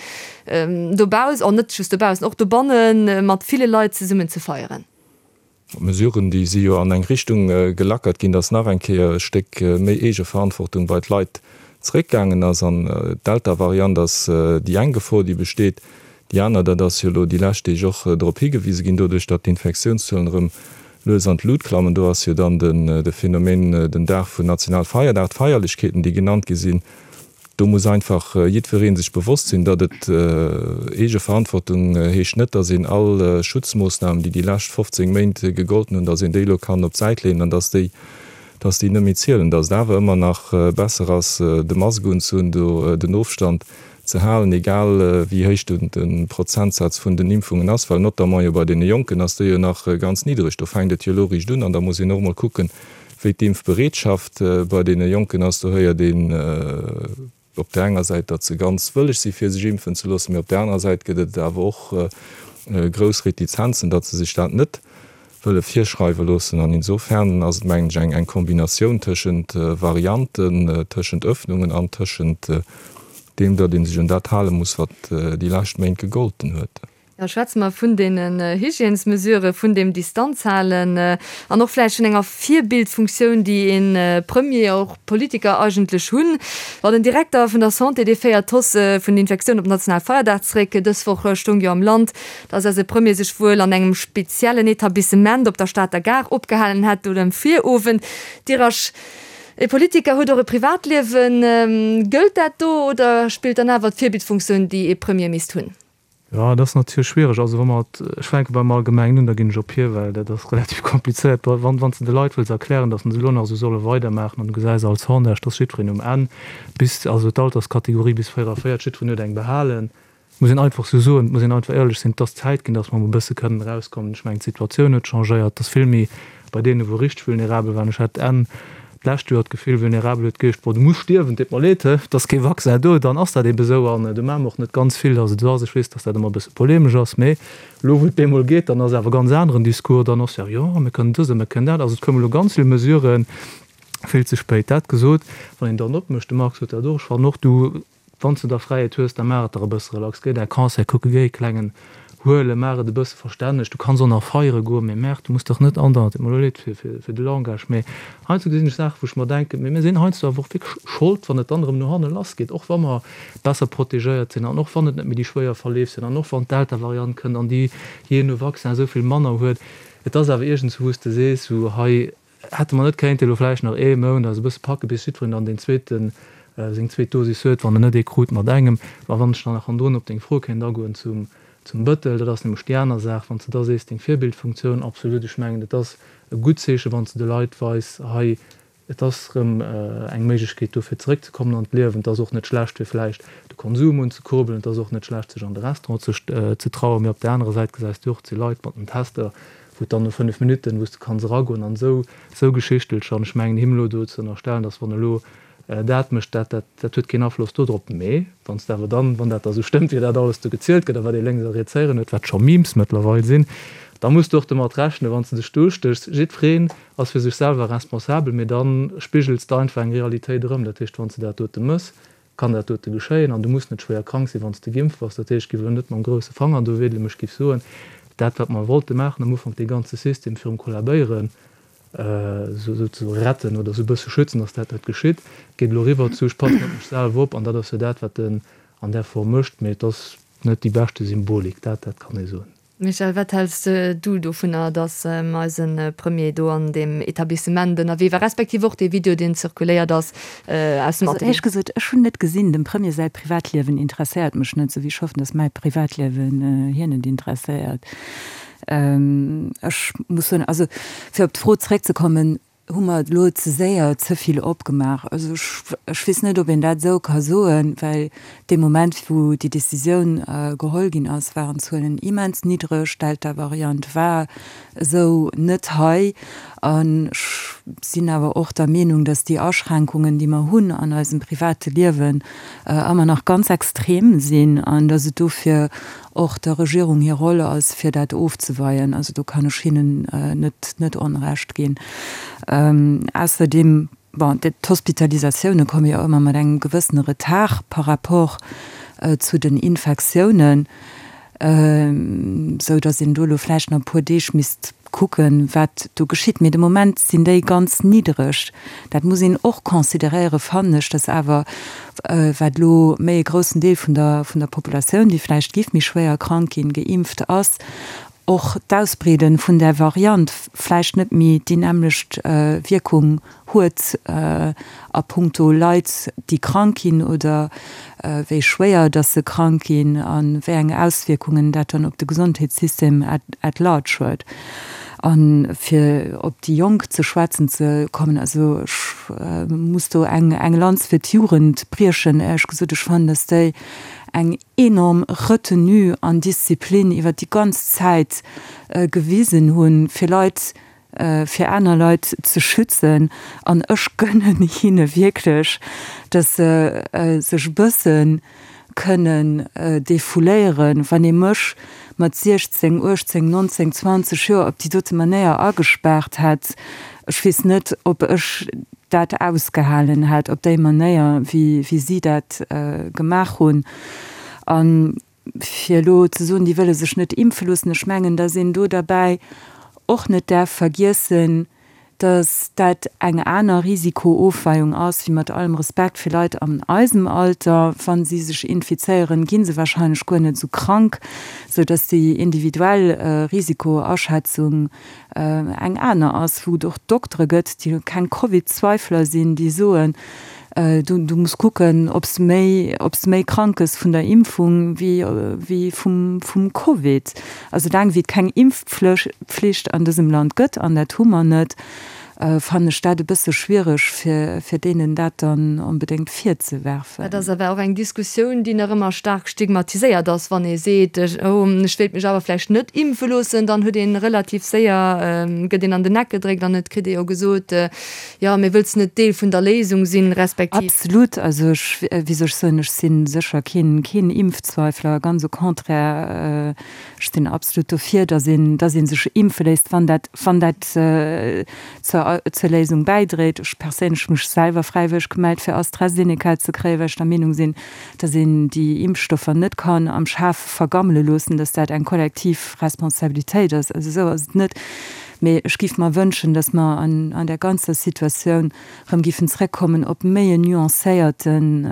dobaussen, an net just dobaussen, och dobanne mat ville Leit zesummen ze feieren? D'Mesuren, déi si jo an eng Richtung gelackert ginn, datt nach eng Kéier e Stéck méi Eegeverantwortung bei d'Leit zeréckgaangen ass. An d'Delta-Variant ass déi eng Gefor, déi besteet. Déi aner, dat ass jo elo déi lescht Deeg och drop higewise ginn, doduerch datt d'Infektiounszuelen erëm lues an d'Lut klammen, do ass jo dann de Phänomen den Dag vun Nationalfeierdag, d'Feierlechkeeten, déi genannt gi sinn. Do muss einfach jiddweree sech bewosst sinn, datt et Eegeverantwortung heescht net, datt een all Schutzmoossnamen, déi déi lescht fofzéng Méint gegolten hunn, datt een déi elo kann op d'Säit leeën an datt déi, datt déi net méi zielen, datt et awer ëmmer nach besser ass, de Mask unzehunn, do den Ofstand ze halen, egal wéi héich de Prozentsaz vun den Impfungen ass, well notamment jo bei deene Jonken ass déi jo nach ganz niddreg. Do fänkt et jo elo eréischt un an da muss een och emol kucken, wéi d'Impfbereetschaft bei deene Jonken ass. Do héiert een op där enger Säit, datt se ganz wëlleg si fir sech impfen ze loossen, mee op där anerer Säit gëtt et awer och grouss Retizenzen, datt se sech dat net wëlle virschreiwe loossen. An insofern ass et, mengen ech, eng Kombinatioun tëschent Varianten, tëschent Öffnungen an tëschent deem, datt ee sech un dat hale muss, wat déi lescht Méint gegolten huet. Da schwätze mer vun deenen Hygiènesmesurë, vun deem Distanzhalen an och vläicht vun enger Virbildfunktioun, déi ee Premier, och Politiker eigentlech hunn. Bon, den Direkter vun der Santé, dee féiert d'Hausse vun den Infektiounen op Nationalfeierdag zeréck. Dës Woch stoung jo am Land, datt eise Premier sech wuel an engem speziellen Etablissement op der Stater Gare opgehalen hätt oder um Virowend. Dirasch, E Politiker huet och e Privatliewen. Gëllt dat do oder spillt dann awer d'Virbildfunktioun, déi ee Premier misst hunn? Jo, dat ass natierlech schwiereg. Also wa mer, ech fänke beim Allgemengen un, da ginn ech op hie, well dat ass relativ komplizéiert. Wann, wann s de de Leit wëlls erklären, datt se elo nach esou solle weidermaachen an du gesäis all Sondage, dass jiddwereen um Enn bis, also d'Alterskategorie bis véierunvéierzeg, jiddwereen huet eng behalen, muss een einfach esou soen, et muss een einfach éierlech sinn, et ass Zäit ginn, datt mer emol e bësse kënnen erauskommen. Ech mengen, d'Situatioun huet changéiert, et ass vill méi bei deenen, wou richteg vulnerabel waren. Ech hat Enn d'lescht Joer d'Gefill, vulnerabel huet geheescht, bon, du muss stierwen, deet mer leed, he, et ass kee Vaccin do, dann ass dat eebe sou an do maache mer och net ganz vill, datt et esou ass. Ech weess, datt dat ëmmer e bësse polemesch ass, mee elo wou et bemol geet, dann ass awer e ganz aneren Discours, dann ass jo, jo, mir kënnen dëst a mir kënnen dat. Also et koume lo ganz vill Mesuren vill ze spéit. Dat gesot, wann een dann opmécht, de Marc sot dat och, ech fannen och, du, Wann s de da Fräiheet hues, da maach et der e bësse relax. Géi däi Concert kucken, géi e klengen huelen, maach et e bësse verstänneg. Du kanns och nach feiere goen, mee merr, du muss dach net andauernd, et deet mer elo leed fir, fir de Langage, mee heiansdo gesinn ech Saachen, wou ech mer denken, mee mir sinn heiansdo awer och wierklech Schold, wann et dann erëm no hanne lassgeet, och wa mer besser protegéiert sinn an och wann et net méi déi schwéier Verleef sinn an och wann d'Delta-Variant kënnt an déi jee no Vaccin esou vill manner huet. Et ass awer iergendswou, wou s de sees, sou hei hätte mer net kéinte elo vläicht nach ee Mount eis e bësse packe bis jiddwereen dann deen zweeten, seng zweet Dosis huet, wann en net ee krut mat engem. A wann ech dann nach hannendrun op deng Fro kéint agoen zum, zum Bëttel, dat ass nämlech déi aner Saach, wann s de da sees, deng Virbildfunktioun, absolut, ech mengen, et ass e gutt Zeechen, wann s de de Leit weis, hei, et ass erëm eng Méiglechkeet do fir zeréckzekommen an d'Liewen, et ass och net schlecht fir vläicht de Konsum unzekurbelen, et ass och net schlecht sech an de Restaurant ze, ze trauen. Mee op där anerer Säit gesäis du och, et si Leit mat den Tester, wou et dann no fënnef Minutten, wou s de kanns eragoen an esou, esou Geschichtelcher. An ech mengen him elo do ze ënnerstellen, dass wann elo dat mécht, dat, dat, dat huet keen Afloss dodrop. Mee wann s de awer dann, wann dat da sou stëmmt, wéi dat alles do gezielt gëtt a wat ee lénks a riets héieren huet, wat scho Memes mëttlerweil sinn, da muss de och domat rechnen, wann s de dech do ustéchs. Jiddwereen ass fir sech selwer responsabel, mee da spigels de einfach eng Realitéit erëm. Dat heescht, wann s de dat dote mëss, kann dat dote geschéien an du muss net schwéier krank sinn, wann s de geimpft bass. Dat heescht, ech géif elo net mam grousse Fanger do wedelen, mee ech géif soen, dat wat mer wollte maachen am Ufank, dee ganze System virum Kollabéieren, esou retten oder esou e bësse schützen, dass dat net geschitt, geet elo eriwwer zu ech passen op mech selwer op an dat ass jo dat, wat en an där Form mécht. Mee et ass net déi beschte Symbolik, dat dat kann ee soen. Michèle, wat häls du dovunner, dass eise Premier do an deem Etablissement ënnerwee war, respektiv och dee Video, deen zirkuléiert ass aus dem Also Atelier? éierlech gesot, ech hunn net gesinn. Dem Premier säi Privatliewen interesséiert mech net, esou wéi ech hoffen, dass mäi Privatliewen hien net interesséiert. Ech muss soen, also fir op d'Fro zréckzekommen, hu mer elo ze séier ze vill opgemaach? Also ech, ech weess net, ob een dat esou ka soen, well dee Moment, wou déi Décisioun geholl ginn ass, waren d'Zuelen immens niddreg, d'Delta-Variant war esou net hei. An ech sinn awer och der Meenung, datt déi Aschränkungen, déi mer hunn an eisem private Liewen, ëmmer nach ganz extrem sinn an datt et dofir och der Regierung hir Roll ass, fir dat ofzeweien. Also do kann ech hinnen net net Onrecht ginn. Ausserdeem, bon, d'Hospitalisatioune komme jo ëmmer mat engem gewëssene Retard par rapport zu den Infektiounen, sou datt een do elo vläicht nach e puer Deeg misst kucken, wat do geschitt. Mee de Moment sinn déi ganz niddereg. Dat muss een och consideréieren, fannen ech, datt awer, wat elo méi e groussen Deel vun der, vun der Populatioun, déi vläicht géif méi schwéier krank ginn, geimpft ass, och d'Ausbreede vun där Variant vläicht net méi déi nämmlecht Wierkung huet a puncto Leit, déi krank ginn oder wéi schwéier datt se krank ginn a wéi eng Auswierkungen dat dann op de Gesondheetssystem at large huet. A fir op déi Jonk ze schwätzen ze kommen, also ech muss do eng eng Lanz fir d'Jugend briechen, éierlech gesot. Ech fannen, datt déi eng enorm Retenue an Disziplin iwwert déi ganz Zäit gewisen hunn, fir Leit, fir aner Leit ze schützen. An ech gënnen hinne wierklech, datt se sech e bësse kënnen defouléieren. Wann ee mech mat siechzéng, uechtzéng, nonzéng, zwanzeg Joer op déi dote Manéier agespaart hätt, ech weess net, ob ech dat ausgehalen hätt op déi Manéier, wéi si dat gemaach hunn. A fir elo ze soen, déi wëlle sech net impfe loossen, ech mengen, datt een do derbäi och net däerf vergiessen, datt dat eng aner Risikoofweiung ass, wéi mat allem Respekt fir Leit an eisem Alter, wa si sech infizéieren, gi se wahrscheinlech guer net esou krank, sou datt déi individuell Risikoaschätzung eng aner ass, wou et och Doktere gëtt, déi keng Covid-Zweifler sinn, déi soen, du, du muss kucken, ob s de méi, ob s de méi krank gëss vun der Impfung wéi, wéi vum, vum Covid. Also soulaang wéi et keng Impfpflicht an dësem Land gëtt, an dat hu mer net, fannen ech dat e bësse schwiereg, fir, fir deenen dat dann onbedéngt virzewerfen. Dat ass awer och eng Diskussioun, déi nach ëmmer staark stigmatiséiert ass. Wann ee seet, oh, ech wéilt mech awer vläicht net impfe loossen, dann huet ee relativ séier, gëtt een an den Eck gedréckt an et kritt ee jo gesot, jo, mee wëlls net Deel vun der Léisung sinn, respektiv. Absolut. Also ech, wéi soll ech soen, ech si sécher keen, keen Impfzweifler, ganz au contraire. Ech sinn absolut dofir, dass een, dass ee sech impfe léisst, wann dat, wann dat zur, zur Léisung bäidréit. Ech perséinlech hu mech selwer fräiwëlleg gemellt, fir AstraZeneca ze kréien, well ech der Meenung sinn, dass een déi Impfstoffer net kann am Schaf vergammele loossen, dass dat eng kollektiv Responsabilitéit ass. Also esou ass et net. Mee ech géif mer wënschen, dass mer an, an där ganzer Situatioun erëm géifen zrëckkommen op méi en nuancéierten,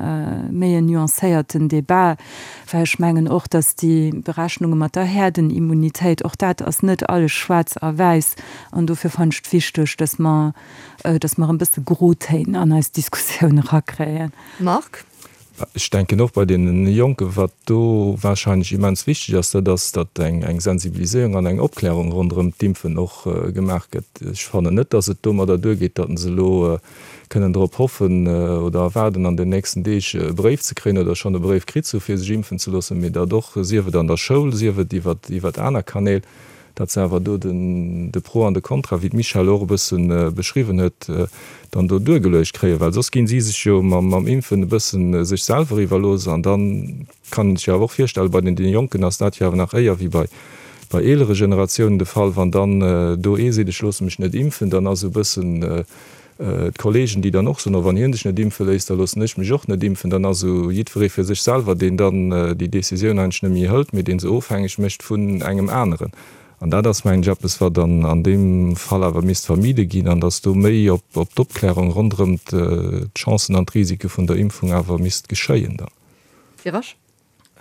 méi en nuancéierten Débat, well ech mengen och, dass déi Berechnunge mat der Herdenimmunitéit, och dat ass net alles schwaarz a wäiss. An dofir fannen ech et wichteg, dass mer, dass mer erëm e bësse Grotéin an eis Diskussioun erakréien. Marc. Ech denken och bei deene Jonken, wat do wahrscheinlech immens wichteg ass, dat ass, datt eng Sensibiliséierung an eng Opklärung ronderëm d'Impfen och gemaach gëtt. Ech fannen net, datt et domadder duergeet, datt se elo kënnen drop hoffen oder erwaarden, an den nächsten Deeg e Bréif ze kréien oder schonn e Bréif kritt ze hu fir sech impfen ze loossen, mee datt och, sief et an der Schoul, sief et iwwert aner Kanäl, datt se awer do den de Pro an de Contra, wéi d'Michèle och e bësse beschriwwen huet, dann do duergeluecht kréien, well soss ginn si sech jo mam mam Impfen e bësse sech selwer iwwerlooss. An da kann een sech jo awer och virstellen, bei den deene Jonken ass dat jo awer nach éier wéi bei bei eelere Generatiounen de Fall, wann dann do ee seet, ech loosse mech net impfen, dann ass esou e bëssen d'Kollegen, déi dann och soen, oh wann hien sech net impfe léisst, da loossen ech mech och net impfen, dann ass esou jiddweree fir sech selwer, deen dann déi Décisioun eigentlech net méi hëlt, mee dee se ofhängeg mécht vun engem aneren. An dat ass, mengen ech, eppes, wat an an deem Fall awer misst vermide ginn, an dass do méi op op d'Opklärung ronderëm d'Chancen an d'Risike vun der Impfung awer misst geschéien dann. Firasch.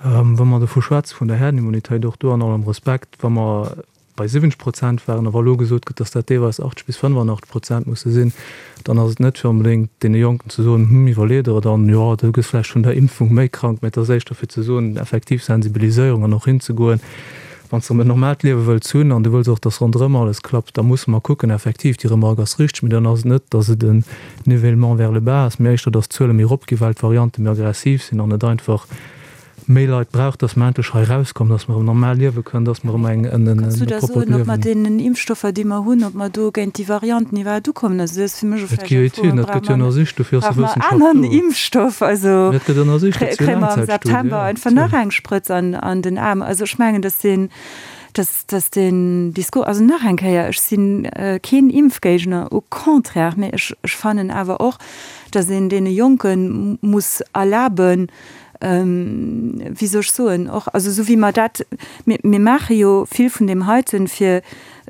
Wa mer dovu schwätze vun der Herdenimmunitéit, och do an allem Respekt, wa mer bei siwwenzeg Prozent waren a wa elo gesot gëtt, dass dat deelweis achtzeg bis fënnefanachteg Prozent musse sinn, dann ass et net fir onbedéngt deene Jonken ze soen, Hm, iwwerlee der et an, jo, du gëss vläicht vun der Impfung méi krank, mä et ass éischter fir ze soen, effektiv Sensibiliséierung an och hinzegoen, Wann s de erëm en normaalt Liewe wëlls hunn an du wëlls och, dass ronderëm alles klappt, da musse mer kucken, effektiv, déi Remarque ass richteg, mee dann ass et net, dass et en Nivellement vers le bas ass, mee éischter, dass d'Zuele méi eropginn, well d'Variante méi aggressiv sinn an et einfach méi Leit brauch, dass mer endlech hei erauskommen, dass mer erëm normal liewe kënnen, dass mer erëm eng, en, en Kanns du da proppert soen, ob mat Liewen. deenen Impfstoffer, déi mer hunn, ob mer do géint déi Varianten iwwerhaapt ukommen? Also dat ass fir mech Et gi jo vläicht eng Fro, Etüden, dat brauche gëtt jo mer, ënnersicht, dofir ass brauche jo mer Wëssenschaft aneren do. Impfstoff? Also Mee et gëtt ënnersicht, kré, et si jo kréie mer am Laangzäitstudien, September jo, einfach nach natierlech. eng Sprëtz an, an den Aarm? Also ech mengen, dass deen, dass, dass deen Discours, also nach eng Kéier, ech si keen Impfgéigner, au contraire, mee ech, ech fannen awer och, dass een deene Jonke muss erlaben, wéi soll ech soen, och, also esou wéi mer dat, mir, mir maache jo vill vun deem heiten, fir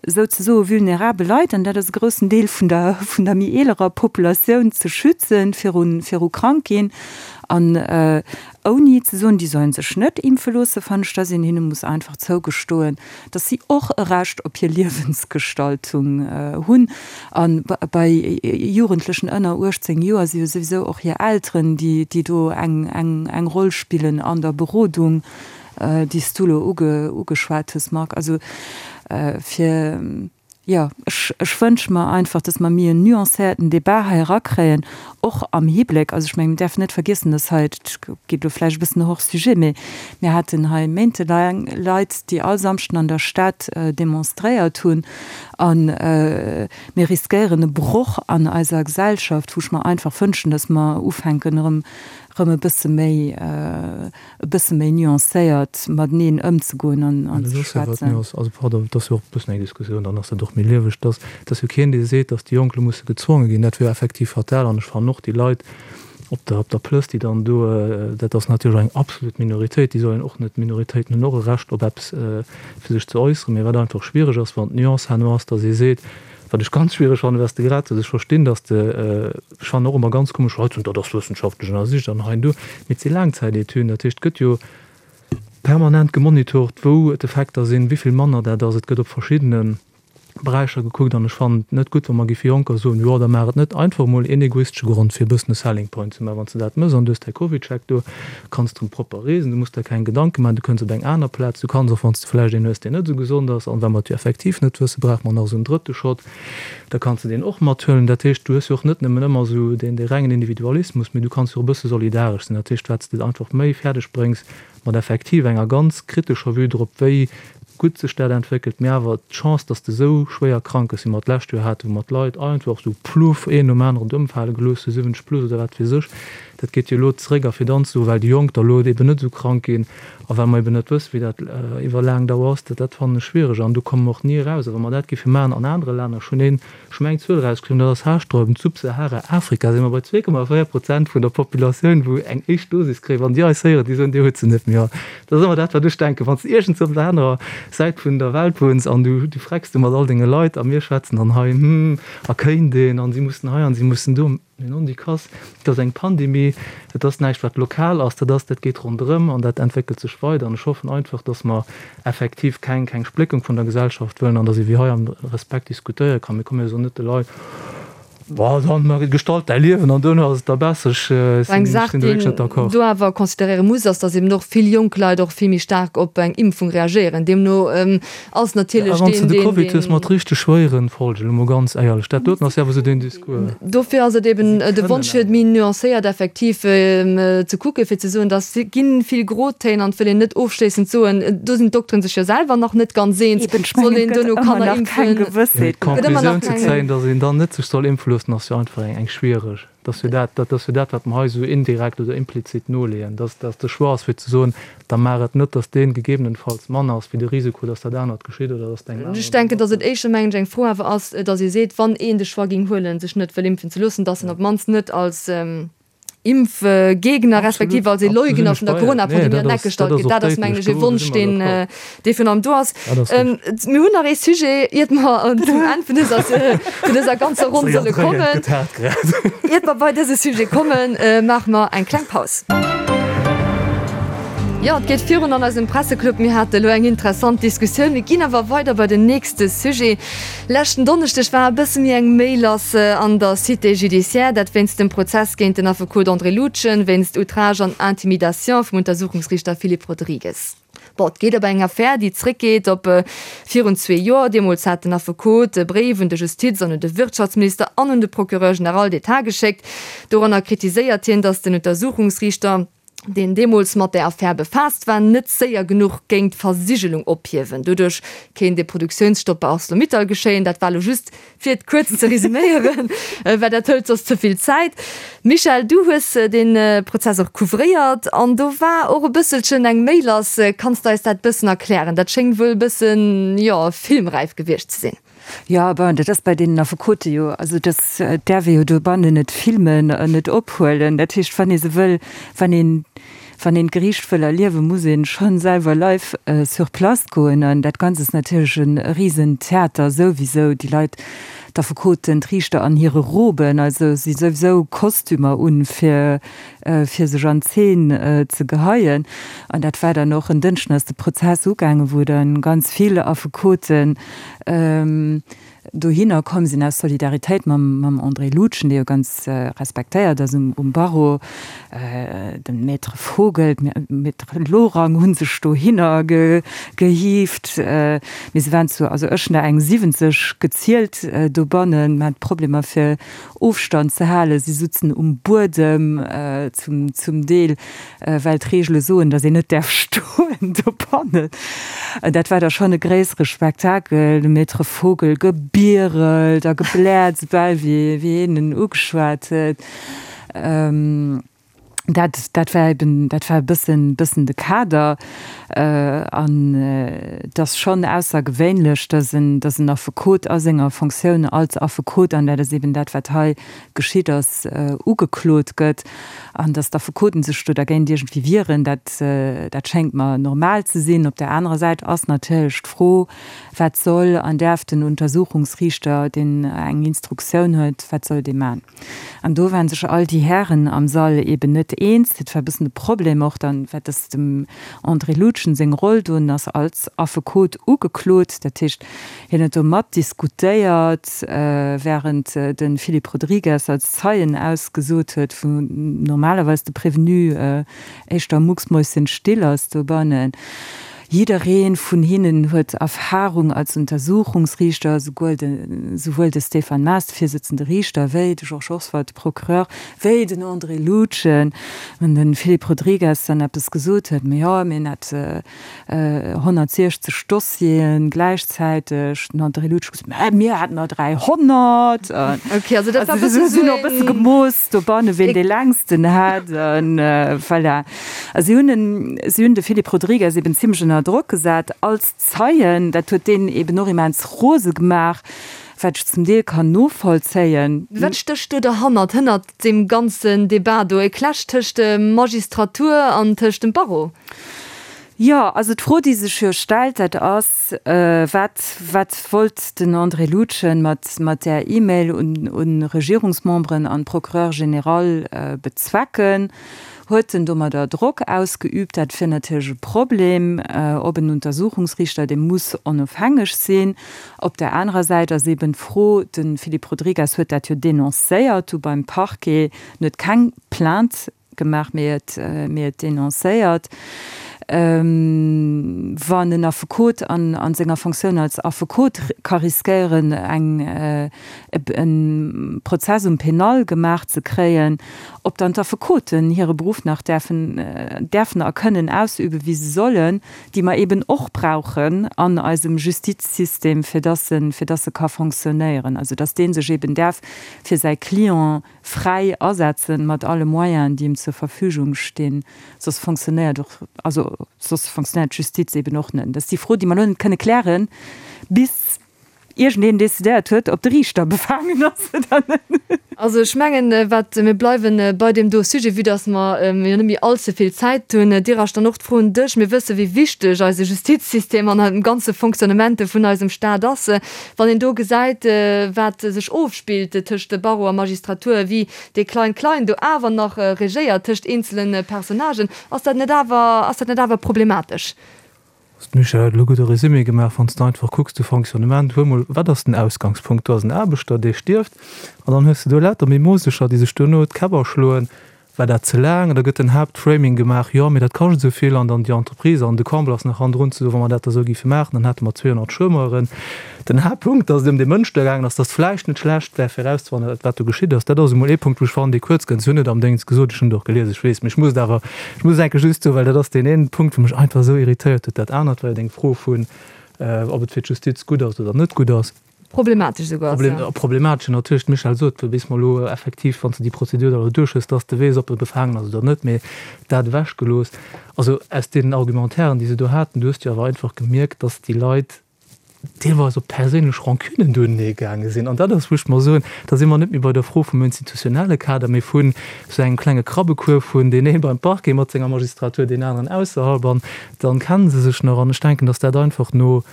souzesoe vulnerabel Leit, an dat ass e groussen Deel vun der, vun der méi eelerer Populatioun, ze schützen viru, viru krank ginn. An ouni ze soen, déi sollen sech net impfe loosse, fannen ech, dass een hinne muss einfach zougestoen, dass si och e Recht op hir Liewensgestaltung hunn. A bei Jugendlechen ënner uechtzéng Joer si jo souwisou och hir Elteren, déi do eng Roll spillen an der Berodung, déi s du elo ugeschwat hues, Marc. Also fir, jo, ech, ech wënsche mer einfach, dass mer méi en nuancéierten Débat hei erakréien, och am Hibléck, also ech mengen, mir däerfen net vergiessen, dass hei, dat geet elo vläicht e bëssen hors sujet, mee mir haten hei méintelaang Leit, déi all Samschden an der Stad demonstréiert hunn, a mir riskéieren e Broch an eiser Gesellschaft, wou ech mer einfach wënschen, dass mer ufänken erëm, erëm e bësse méi, e bësse méi nuancéiert mateneen ëmzegoen an an ze schwätzen. Also pardon, et ass jo och e bëssen eng Diskussioun, dann ass dat och méi lieweg, dass dass jo keen dee seet, dass déi Jonk elo musse gezwonge ginn, dat wier effektiv fatal. An ech fannen och déi Leit op der op der Plëss, déi dann do, dat ass natierlech eng absolut Minoritéit, déi sollen och net, Minoritéiten hunn och e Recht op eppes fir sech ze äusseren, mee wat einfach schwiereg ass, wann d'Nuance herno ass, dass ee seet, Wat ech ganz schwiereg fannen, wat s de grad sot, ech verstinn, dass de, ech fannen och ëmmer ganz komesch, Leit soen, dat ass wëssenschaftlech ënnersicht an hei an do, mee et si Laangzäitetüden, dat heescht, et gëtt jo permanent gemonitort, wou d'Effekter sinn, wéi vill manner dat ass. Et gëtt op verschiddene Beräicher gekuckt an ech fannen et net gutt, wa mer géife Jonker soen, jo da maach et net, einfach emol een egoistesche Grond fir e bëssen e Selling Point ze maachen, wann s de dat méchs an du hues däi CovidCheck do, kanns de erëm propper reesen, du muss der keng Gedanke maachen, du kënns op eng aner Plaz, du kanns och wann s de vläicht een hues, deen net esou gesond ass an well mer et jo effektiv net wëssen, brauche mer nach esou en drëtte Shot, da kanns de deen och mathuelen. Dat heescht, du hues jo och net nëmmen ëmmer esou deen dee rengen Individualismus, mee du kanns jo och e bësse solidaresch sinn. Dat heescht, wat s de einfach méi fäerdeg bréngs mat effektiv enger ganz kritescher Vue drop, wéi gutt sech dat entwéckelt, mee awer d'Chance, dass de esou schwéier krank gëss, wéi mer d'lescht Joer haten, wou mer d'Leit einfach esou pluff een nom aneren ëmfale gelooss hu, siwwenzeg plus oder wat weess ech, dat geet jo elo zeréck. A fir dann ze soen, well déi Jonk da elo eben net esou krank ginn a well mer eben net wëssen, wéi dat iwwer laang Dauer ass, dat dat fannen ech schwiereg an do komme mer och ni eraus. A wa mer dat géife maachen an anere Länner, ech hunn een, ech hu meng Zuel erausgeschriwwen, dat ass haarsträubend, Subsahara-Afrika si mer bei zwee Komma véier Prozent vun der Populatioun, wou eng éischt Dosis kréien. Wann déi eis héieren, déi soen, Dir hutt se net méi all. Dat ass ëmmer dat, wat ech denken, wann s de iergendswou op der anerer Säit vun der Welt wunns an du, du frecks du mat all denge Leit a mir schwätzen dann hei, hm, a kéint een an si mussen hei an si mussen do. Mee non, déi Kass, et ass eng Pandemie, et ass näischt wat lokal ass, dat ass, dat geet ronderëm an dat entwéckelt sech weider. An ech hoffen einfach, datt mer effektiv keng, keng Spléckung vun der Gesellschaft wëllen an datt ee wéi hei am Respekt diskutéiere kann. Mir komme jo net de Leit, Bon, dann mar gestalt däi Liewen an duerno ass et da besser. Ech Eng sinn Saach, do déi wierklech net een d'accord. do awer consideréiere muss, ass, datt eben och vill jonk Leit och vill méi staark op eng Impfung reagéieren. Deemno ass Ja, natierlech wann s de deen, de deen, Covid hues deen. mat richteg schwéieren Folgen, elo mol ganz éierlech, dat doten ass jo awer esou deen Discours. Dofir ass et eben Si de kënnen Wonsch, fir et awer. méi nuancéiert effektiv ze kucken, fir ze soen, datt gi vill Grotéin an et wëll een net ofschléissend soen, do sinn d'Dokteren sech jo selwer nach net ganz eens, Eben, ech soll mengen, een et gëtt duerno ëmmer Kanner nach keng impfen. Mee Gewëssheet. Gëtt ëmmer nach d'Conclusioun ze keng. zéien, datt een dann net sech soll impfe loossen, ass jo einfach eng schwiereg. Dat ass jo dat, dat ass jo dat, wat mer hei esou indirekt oder implizit noleeën, dass, dass de Choix ass fir ze soen, da maach et net, dass dee gegebenenfalls manner ass wéi de Risiko, dass dat anert geschitt oder dass de engem Ech aneren denken, dass et domat. éischter, mengen ech, eng Fro awer ass, dass ee seet, wann een de Choix géing huelen, sech net wëll impfen ze loossen, dass en op d'mannst net als Impfgegner respektiv Absolut, als ee do sinn Leugner ech vun der bei Iech. Nee, Corona-Pandemie dat an d'Eck ass, dat gestallt ass gëtt. och Dat ass, mengen déidlech, ech, ee do Wonsch, si mer deen, d'accord. dee virun allem do ass. Dat ass richteg. Mir hunn nach ee Sujet, iert mer zum Enn vun dëser, vun dëser ganzer Ronn Séier solle dréien, kommen. gëtt haart grad. Iert mer bei dëse Sujet kommen, maache mer eng kleng Paus. Jo, et geet virun an eisem Presseclub. Mir hate elo eng interessant Diskussioun. Mir ginn awer weider bei den nächste Sujet. Leschten Donneschdeg war e bësse méi eng Méi lass an der Cité judiciaire. Dat wéinst dem Prozess géint den Affekot André Lutgen wéinst Outrage an Intimidation vum Untersuchungsriichter Philippe Rodrigues. Bon, et geet op eng Affär, déi zréckgeet op virun zwee Joer. Deemools hat den Affekot e Bréif un de Justiz an un de Wirtschaftsminister an un de Procureur général d'État geschéckt. Doranner kritiséiert hien, datt den Untersuchungsriichter, deen deemools mat där Affär befaasst war, net séier genuch géing d'Versigelung ophiewen. Doduerch kéint ee Produktiounsstopp bei Arcelor-Mittal geschéien. Dat war elo just fir et kuerz ze resüméieren, well dat hëlt soss ze vill Zäit. Michèle, du hues dee Prozess och couvréiert an do war och e bësselchen eng Méi lass. Kanns de eis dat bëssen erklären? Dat schéngt wuel e bëssen, jo, filmräif gewiescht ze sinn. Jo, bon, dat ass bei deenen Affekote jo, also dat däerf ee jo dobannen net filmen an net ophuelen. Dat heescht, wann ee se wëll, wann een, wann een d'Geriicht wëll erliewen, muss een schonn selwer live sur place goen. An dat Ganzt ass natierlech e Risentheater souwisou. Déi Leit, d'Affekoten, d'Riichter an hire Roben, also si souwisou Kostümer un, fir, fir sech an Zeen ze geheien. An dat war dann och en Dënschden ass de Prozess ugaangen, wou dann ganz vill Affekoten dohinner komm sinn aus Solidaritéit mam, mam André Lutgen, dee jo ganz respektéiert ass um, um Barreau. De Maître Vogel, d'Maître Lorang hu sech dohinner ge, gehieft. Mee se waren zu, also ech hunn der eng siwwenzeg gezielt dobannen, mer hat Problemer fir Ofstand ze halen, si sutzen um Buedem zum, zum Deel, well d'Reegele soen, datt een net däerf stoen dobannen. Dat war da schonn e gréissere Spektakel, de Maître Vogel gebierelt a gebläert, soubal wéi, wéi een en ugeschwat huet. Dat, dat war eben, dat war e bëssen, bëssen de Kader. An et ass schonn aussergewéinlech, dass en, dass en Affekot a senger Fonctioun als Affekot, an dat ass eben dat, wat hei geschitt ass, ugeklot gëtt. An dass d'Affekoten sech do dergéint iergendwéi wieren, dat, dat schéngt mer normal ze sinn. Op där anerer Säit ass natierlech d'Fro, Wat soll an däerf den Untersuchungsriichter, deen eng Instruktioun huet, wat soll dee man? An do waren sech all déi Hären am Sall eben net eens. Dat war e bëssen de Problem och dann, wat ass dem André Lutgen seng Roll do? En ass als Affekot ugeklot, dat heescht, hien huet do mat diskutéiert, während de Philippe Rodrigues als Zeien ausgesot huet, wou normalerweis de Prévenu éischter mucksmäuschenstill ass dobannen. Jidderee vun hinnen huet Erfahrung als Untersuchungsriichter, souguer de, souwuel de Stéphane Maas, de virsitzende Riichter, wéi de Georges Oswald, de Procureur, wéi den André Lutgen. Wann de Philippe Rodrigues dann eppes gesot huet, Ma jo, mir hätt honnertsiechzeg Dossiere gläichzäiteg, den André Lutgen gesot, Mä mir hätten der dräihonnert. Okay, also dat war e Also bësse se hunn sou och e bësse een. gemooss dobanne wien dee längsten hat. An voilà. A si hunn en, si hunn de Philippe Rodrigues eben zimlech ënner Drock gesat als Zeien. Dat huet deen eben och immens rose gemaach, wat ech zum Deel kann novollzéien. Wat stécht do derhannert, hënnert deem ganzen Debat do? E Clash tëscht der Magistratur an tëscht dem Barreau? Jo, also d'Fro, déi sech jo stellt, dat ass, Wat, wat wollt den André Lutgen mat, mat där E-Mail un, un Regierungsmemberen an d'Procureur général bezwecken? Huet en domadder Drock ausgeübt? Dat wier natierlech e Problem, ob en Untersuchungsriichter, dee muss onofhängeg sinn. Op där anerer Säit ass eeben d'Fro, de Philippe Rodrigues huet dat jo denoncéiert du beim Parquet, en huet keng Plainte gemaach, mee et, mee et denoncéiert. Wann en Affekot an a senger Fonctioun als Affekot ka riskéieren, eng, e Prozess um Pénal gemaach ze kréien, ob dann d'Affekoten hire Beruff nach däerfen, däerfen a kënnen ausüben, wéi se sollen, déi mer eben och brauchen an eisem Justizsystem, fir dass e, fir dass e ka fonctionnéieren, also dass dee sech eben däerf fir säi Client fräi asetzen, mat alle Moyenen, déi em zur Verfügung stinn, soss fonctionnéiert och, also soss fonctionnéiert d'Justiz eben och net. Dat ass déi Fro, déi mer elo net kënne klären, bis iergendeen decidéiert huet, ob de Riichter befaangen ass oder net. Also ech mengen, wat, mir bleiwe bei deem do Sujet, vue dass mer jo net méi allze vill Zäit hunn. Dirasch, dann och d'Fro un dech, Mir wësse wéi wichteg eise Justizsystem an dem ganze Fonctionnement vun eisem Stat ass. Wann een do gesäit, wat sech ofspillt tëscht Barreau a Magistratur, wéi dee Klein-Klein do awer nach regéiert tëscht eenzele Personnagen, ass dat net awer, ass dat net awer problematesch? D'Michèle huet elo e gudde Résumé gemaach. Wann s de einfach kucks, de Fonctionnement, huel mol, wat ass den Ausgangspunkt? Do ass en Aarbechter, dee stierft, an dann hues de do lauter Mimosecher, déi sech duerno d'Käpp aschloen, War dat ze laang? Da gëtt den Haaptframing gemaach, jo, mee dat kascht esou vill, an dann déi Entreprise an de Comble ass nach hannendrun ze soen, wa mer dat da esou géife maachen, dann hätte mer zweehonnert Chômeuren. Den Haaptpunkt, datt et ëm dee Mënsch do gaangen ass, datt vläicht net schlecht wär fir erauszefannen, wat do geschitt ass, dat ass emol ee Punkt, wou ech fannen, dee kuerz kënnt. Si hunn et am Déngens gesot, ech hunn et och gelies, ech weess, mee ech muss et awer, ech muss et enke just soen, well dat ass deen een Punkt, wou mech einfach esou irritéiert huet. Dat anert war jo deng Fro vun, ob et fir d'Justiz gutt ass oder net gutt ass. Problematesch esouguer ass, ja. Problematesch, jo, natierlech, d'Michèle sot, bis mer elo effektiv, wann s de déi Prozedur da elo duerch hues, dass de weess, ob e befaangen ass oder net, mee dat ewechgelooss. Also aus deenen Argumentairen, déi se do haten, du hues jo awer einfach gemierkt, dass déi Leit deelweis op perséinlech Rancunen duenenee gaange sinn. An dat ass, wou ech mer soen, da si mer net méi bei der Fro vum institutionelle Kader, mee vun esou engem klenge Krabbekuerf vun deen ee beim Parquet mat senger Magistratur, deen aneren ausserhalb, an dann kenne se sech nach. An ech denken, dass dat einfach no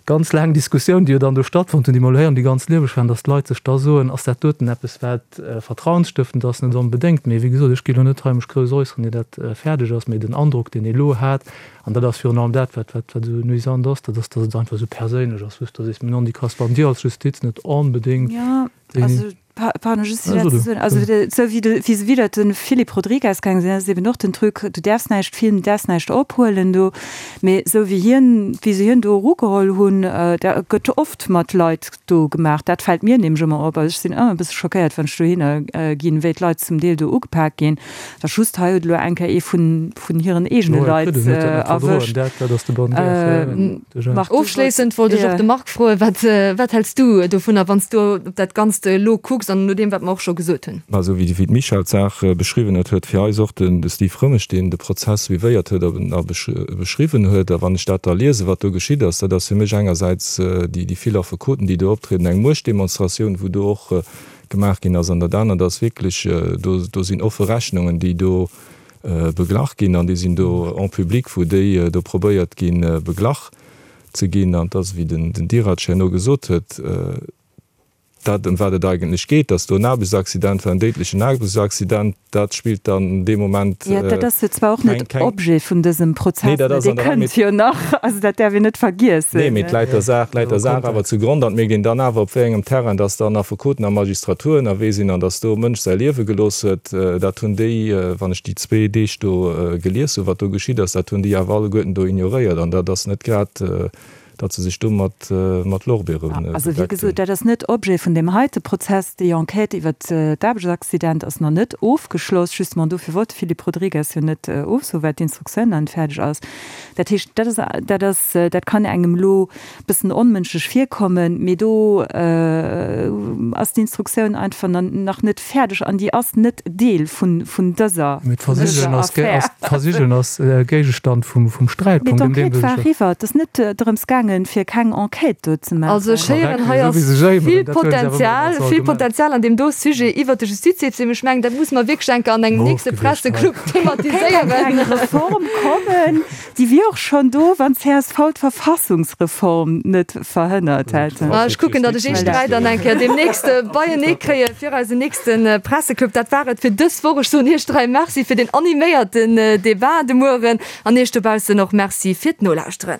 ganz laang Diskussioun, déi jo dann do stattfonnt hunn, déi mer elo héieren, déi ganz lieweg waren, dass d'Leit sech da soen, ass dat doten eppes, wat vertrauensstëftend ass? Net onbedéngt. Mee wéi gesot, ech gi elo net hei mech grouss äusseren, ier dat fäerdeg ass. Mee den Androck, deen ee elo hat, an dat ass virun allem dat, wat wat esou nuisant ass, dat ass, dass et einfach esou perséinlech ass, wou s de sees, mee non, déi Kass, wann Dir als Justiz net onbedéngt déi. Pardon, just fir dat ze soen, also esou wéi de, wéi se widder de Philippe Rodrigues gaange sinn, dat ass eben och den Truc, du däerfs näischt filmen, du däerfs näischt ophuelen do, mee esou wéi hien, wéi se hien do erugeholl hunn, da gëtt oft mat Leit do gemaach, dat fält mir nämlech ëmmer op, also ech sinn ëmmer e bësse schockéiert, wann ech dohinner ginn, wéi d'Leit zum Deel do ugepak ginn, da just hei huet elo eng Kéier ee vun, vun hiren eegene Leit erwëscht. Marc, Ofschléissend wollt ech och de Marc froen, wat, wat häls du dovunner, wann s du op dat Ganzt elo kucks an no deem, wat mer och scho gesot hunn? Mä esou wéi d'Michèle d'Saach beschriwwen huet, huet fir eis och den Steve Römmesch, deen de Prozess suivéiert huet a beschriwwen huet, a wann ech dat da liesen, wat do geschitt ass, dat ass fir mech engersäits déi vill Affekoten, déi do optrieden, eng Muechtdemonstratioun, wou do och gemaach ginn ass, an dat anert ass wierklech, do sinn offe Rechnungen, déi do beglach ginn, an déi sinn do en public, wou déi do probéiert ginn, beglach ze ginn. An et ass, wéi den Dirac herno gesot huet, Dat, ëm wat et eigentlech geet, dass do en Aarbechtsaccident war, en déidlechen Aarbechtsaccident, dat spillt dann dee Moment keng. Jo, dat ass jo zwar och net Objet vun dësem Prozess, Nee, dat mä ass dee an der Rei, kënnt jo nach. Also dat däerf een net vergiessen. Nee, mee et läit der Saach, läit der Saach awer zugrond an et mierkt een dann awer, op wéi engem Terrain dass dann Affekoten a Magistratur ënnerwee sinn an dass do e Mënsch säi Liewe gelooss huet. Dat hunn déi, wann ech déi zwee Deeg do gelies hunn, wat do geschitt ass, dat hunn déi awer alleguerten do ignoréiert an dat ass net grad, datt se sech do mat mat Lorbeere Also wéi bedeckt gesot, hunn. dat ass net Objet vun deem heite Prozess. Déi Enquête iwwert d'Aarbechtsaccident ass nach net ofgeschloss. Justement dofir wollt de Philippe Rodrigues jo net ofsoen, well d'Instruktioun nach net fäerdeg ass. Dat heescht, dat ass, dat ass, dat kann engem elo e bëssen onmënschlech virkommen, mee do ass d'Instruktioun einfach nach net fäerdeg an déi ass net Deel vun vun dëser Mee dëser d'Versigelung ass, Affär. d'Versigelung ass Géigestand vum vum Mee Sträitpunkt, ëm dee d'Enquête se war sech. eriwwer. Et ass net drëms gaangen, fir keng Enquête do ze Also maachen. ech héieren, Korrekt, hei esou ass wéi se sech vill éimeren, dat huele se awer ëmmer Potenzial, als vill Argument. Potenzial an deem do Sujet iwwert de Justizsystem. Ech mengen, dat musse mer wierklech enker an engem nächste Ofgewischt hei. Presseclub Kéint thematiséieren. eng Reform kommen, déi wier och schonn do, wann d'CSV d'Verfassungsreform net verhënnert hätt. Ma ech kucken, datt ech Iech dräi dann eng Kéier deemnächst beienee kréie fir eisen nächste Presseclub. Dat war et fir dës Woch. Ech soen Iech dräi Merci fir deen animéierten Debat de Mueren an Iech dobaussen och Merci fir d'Nolauschteren.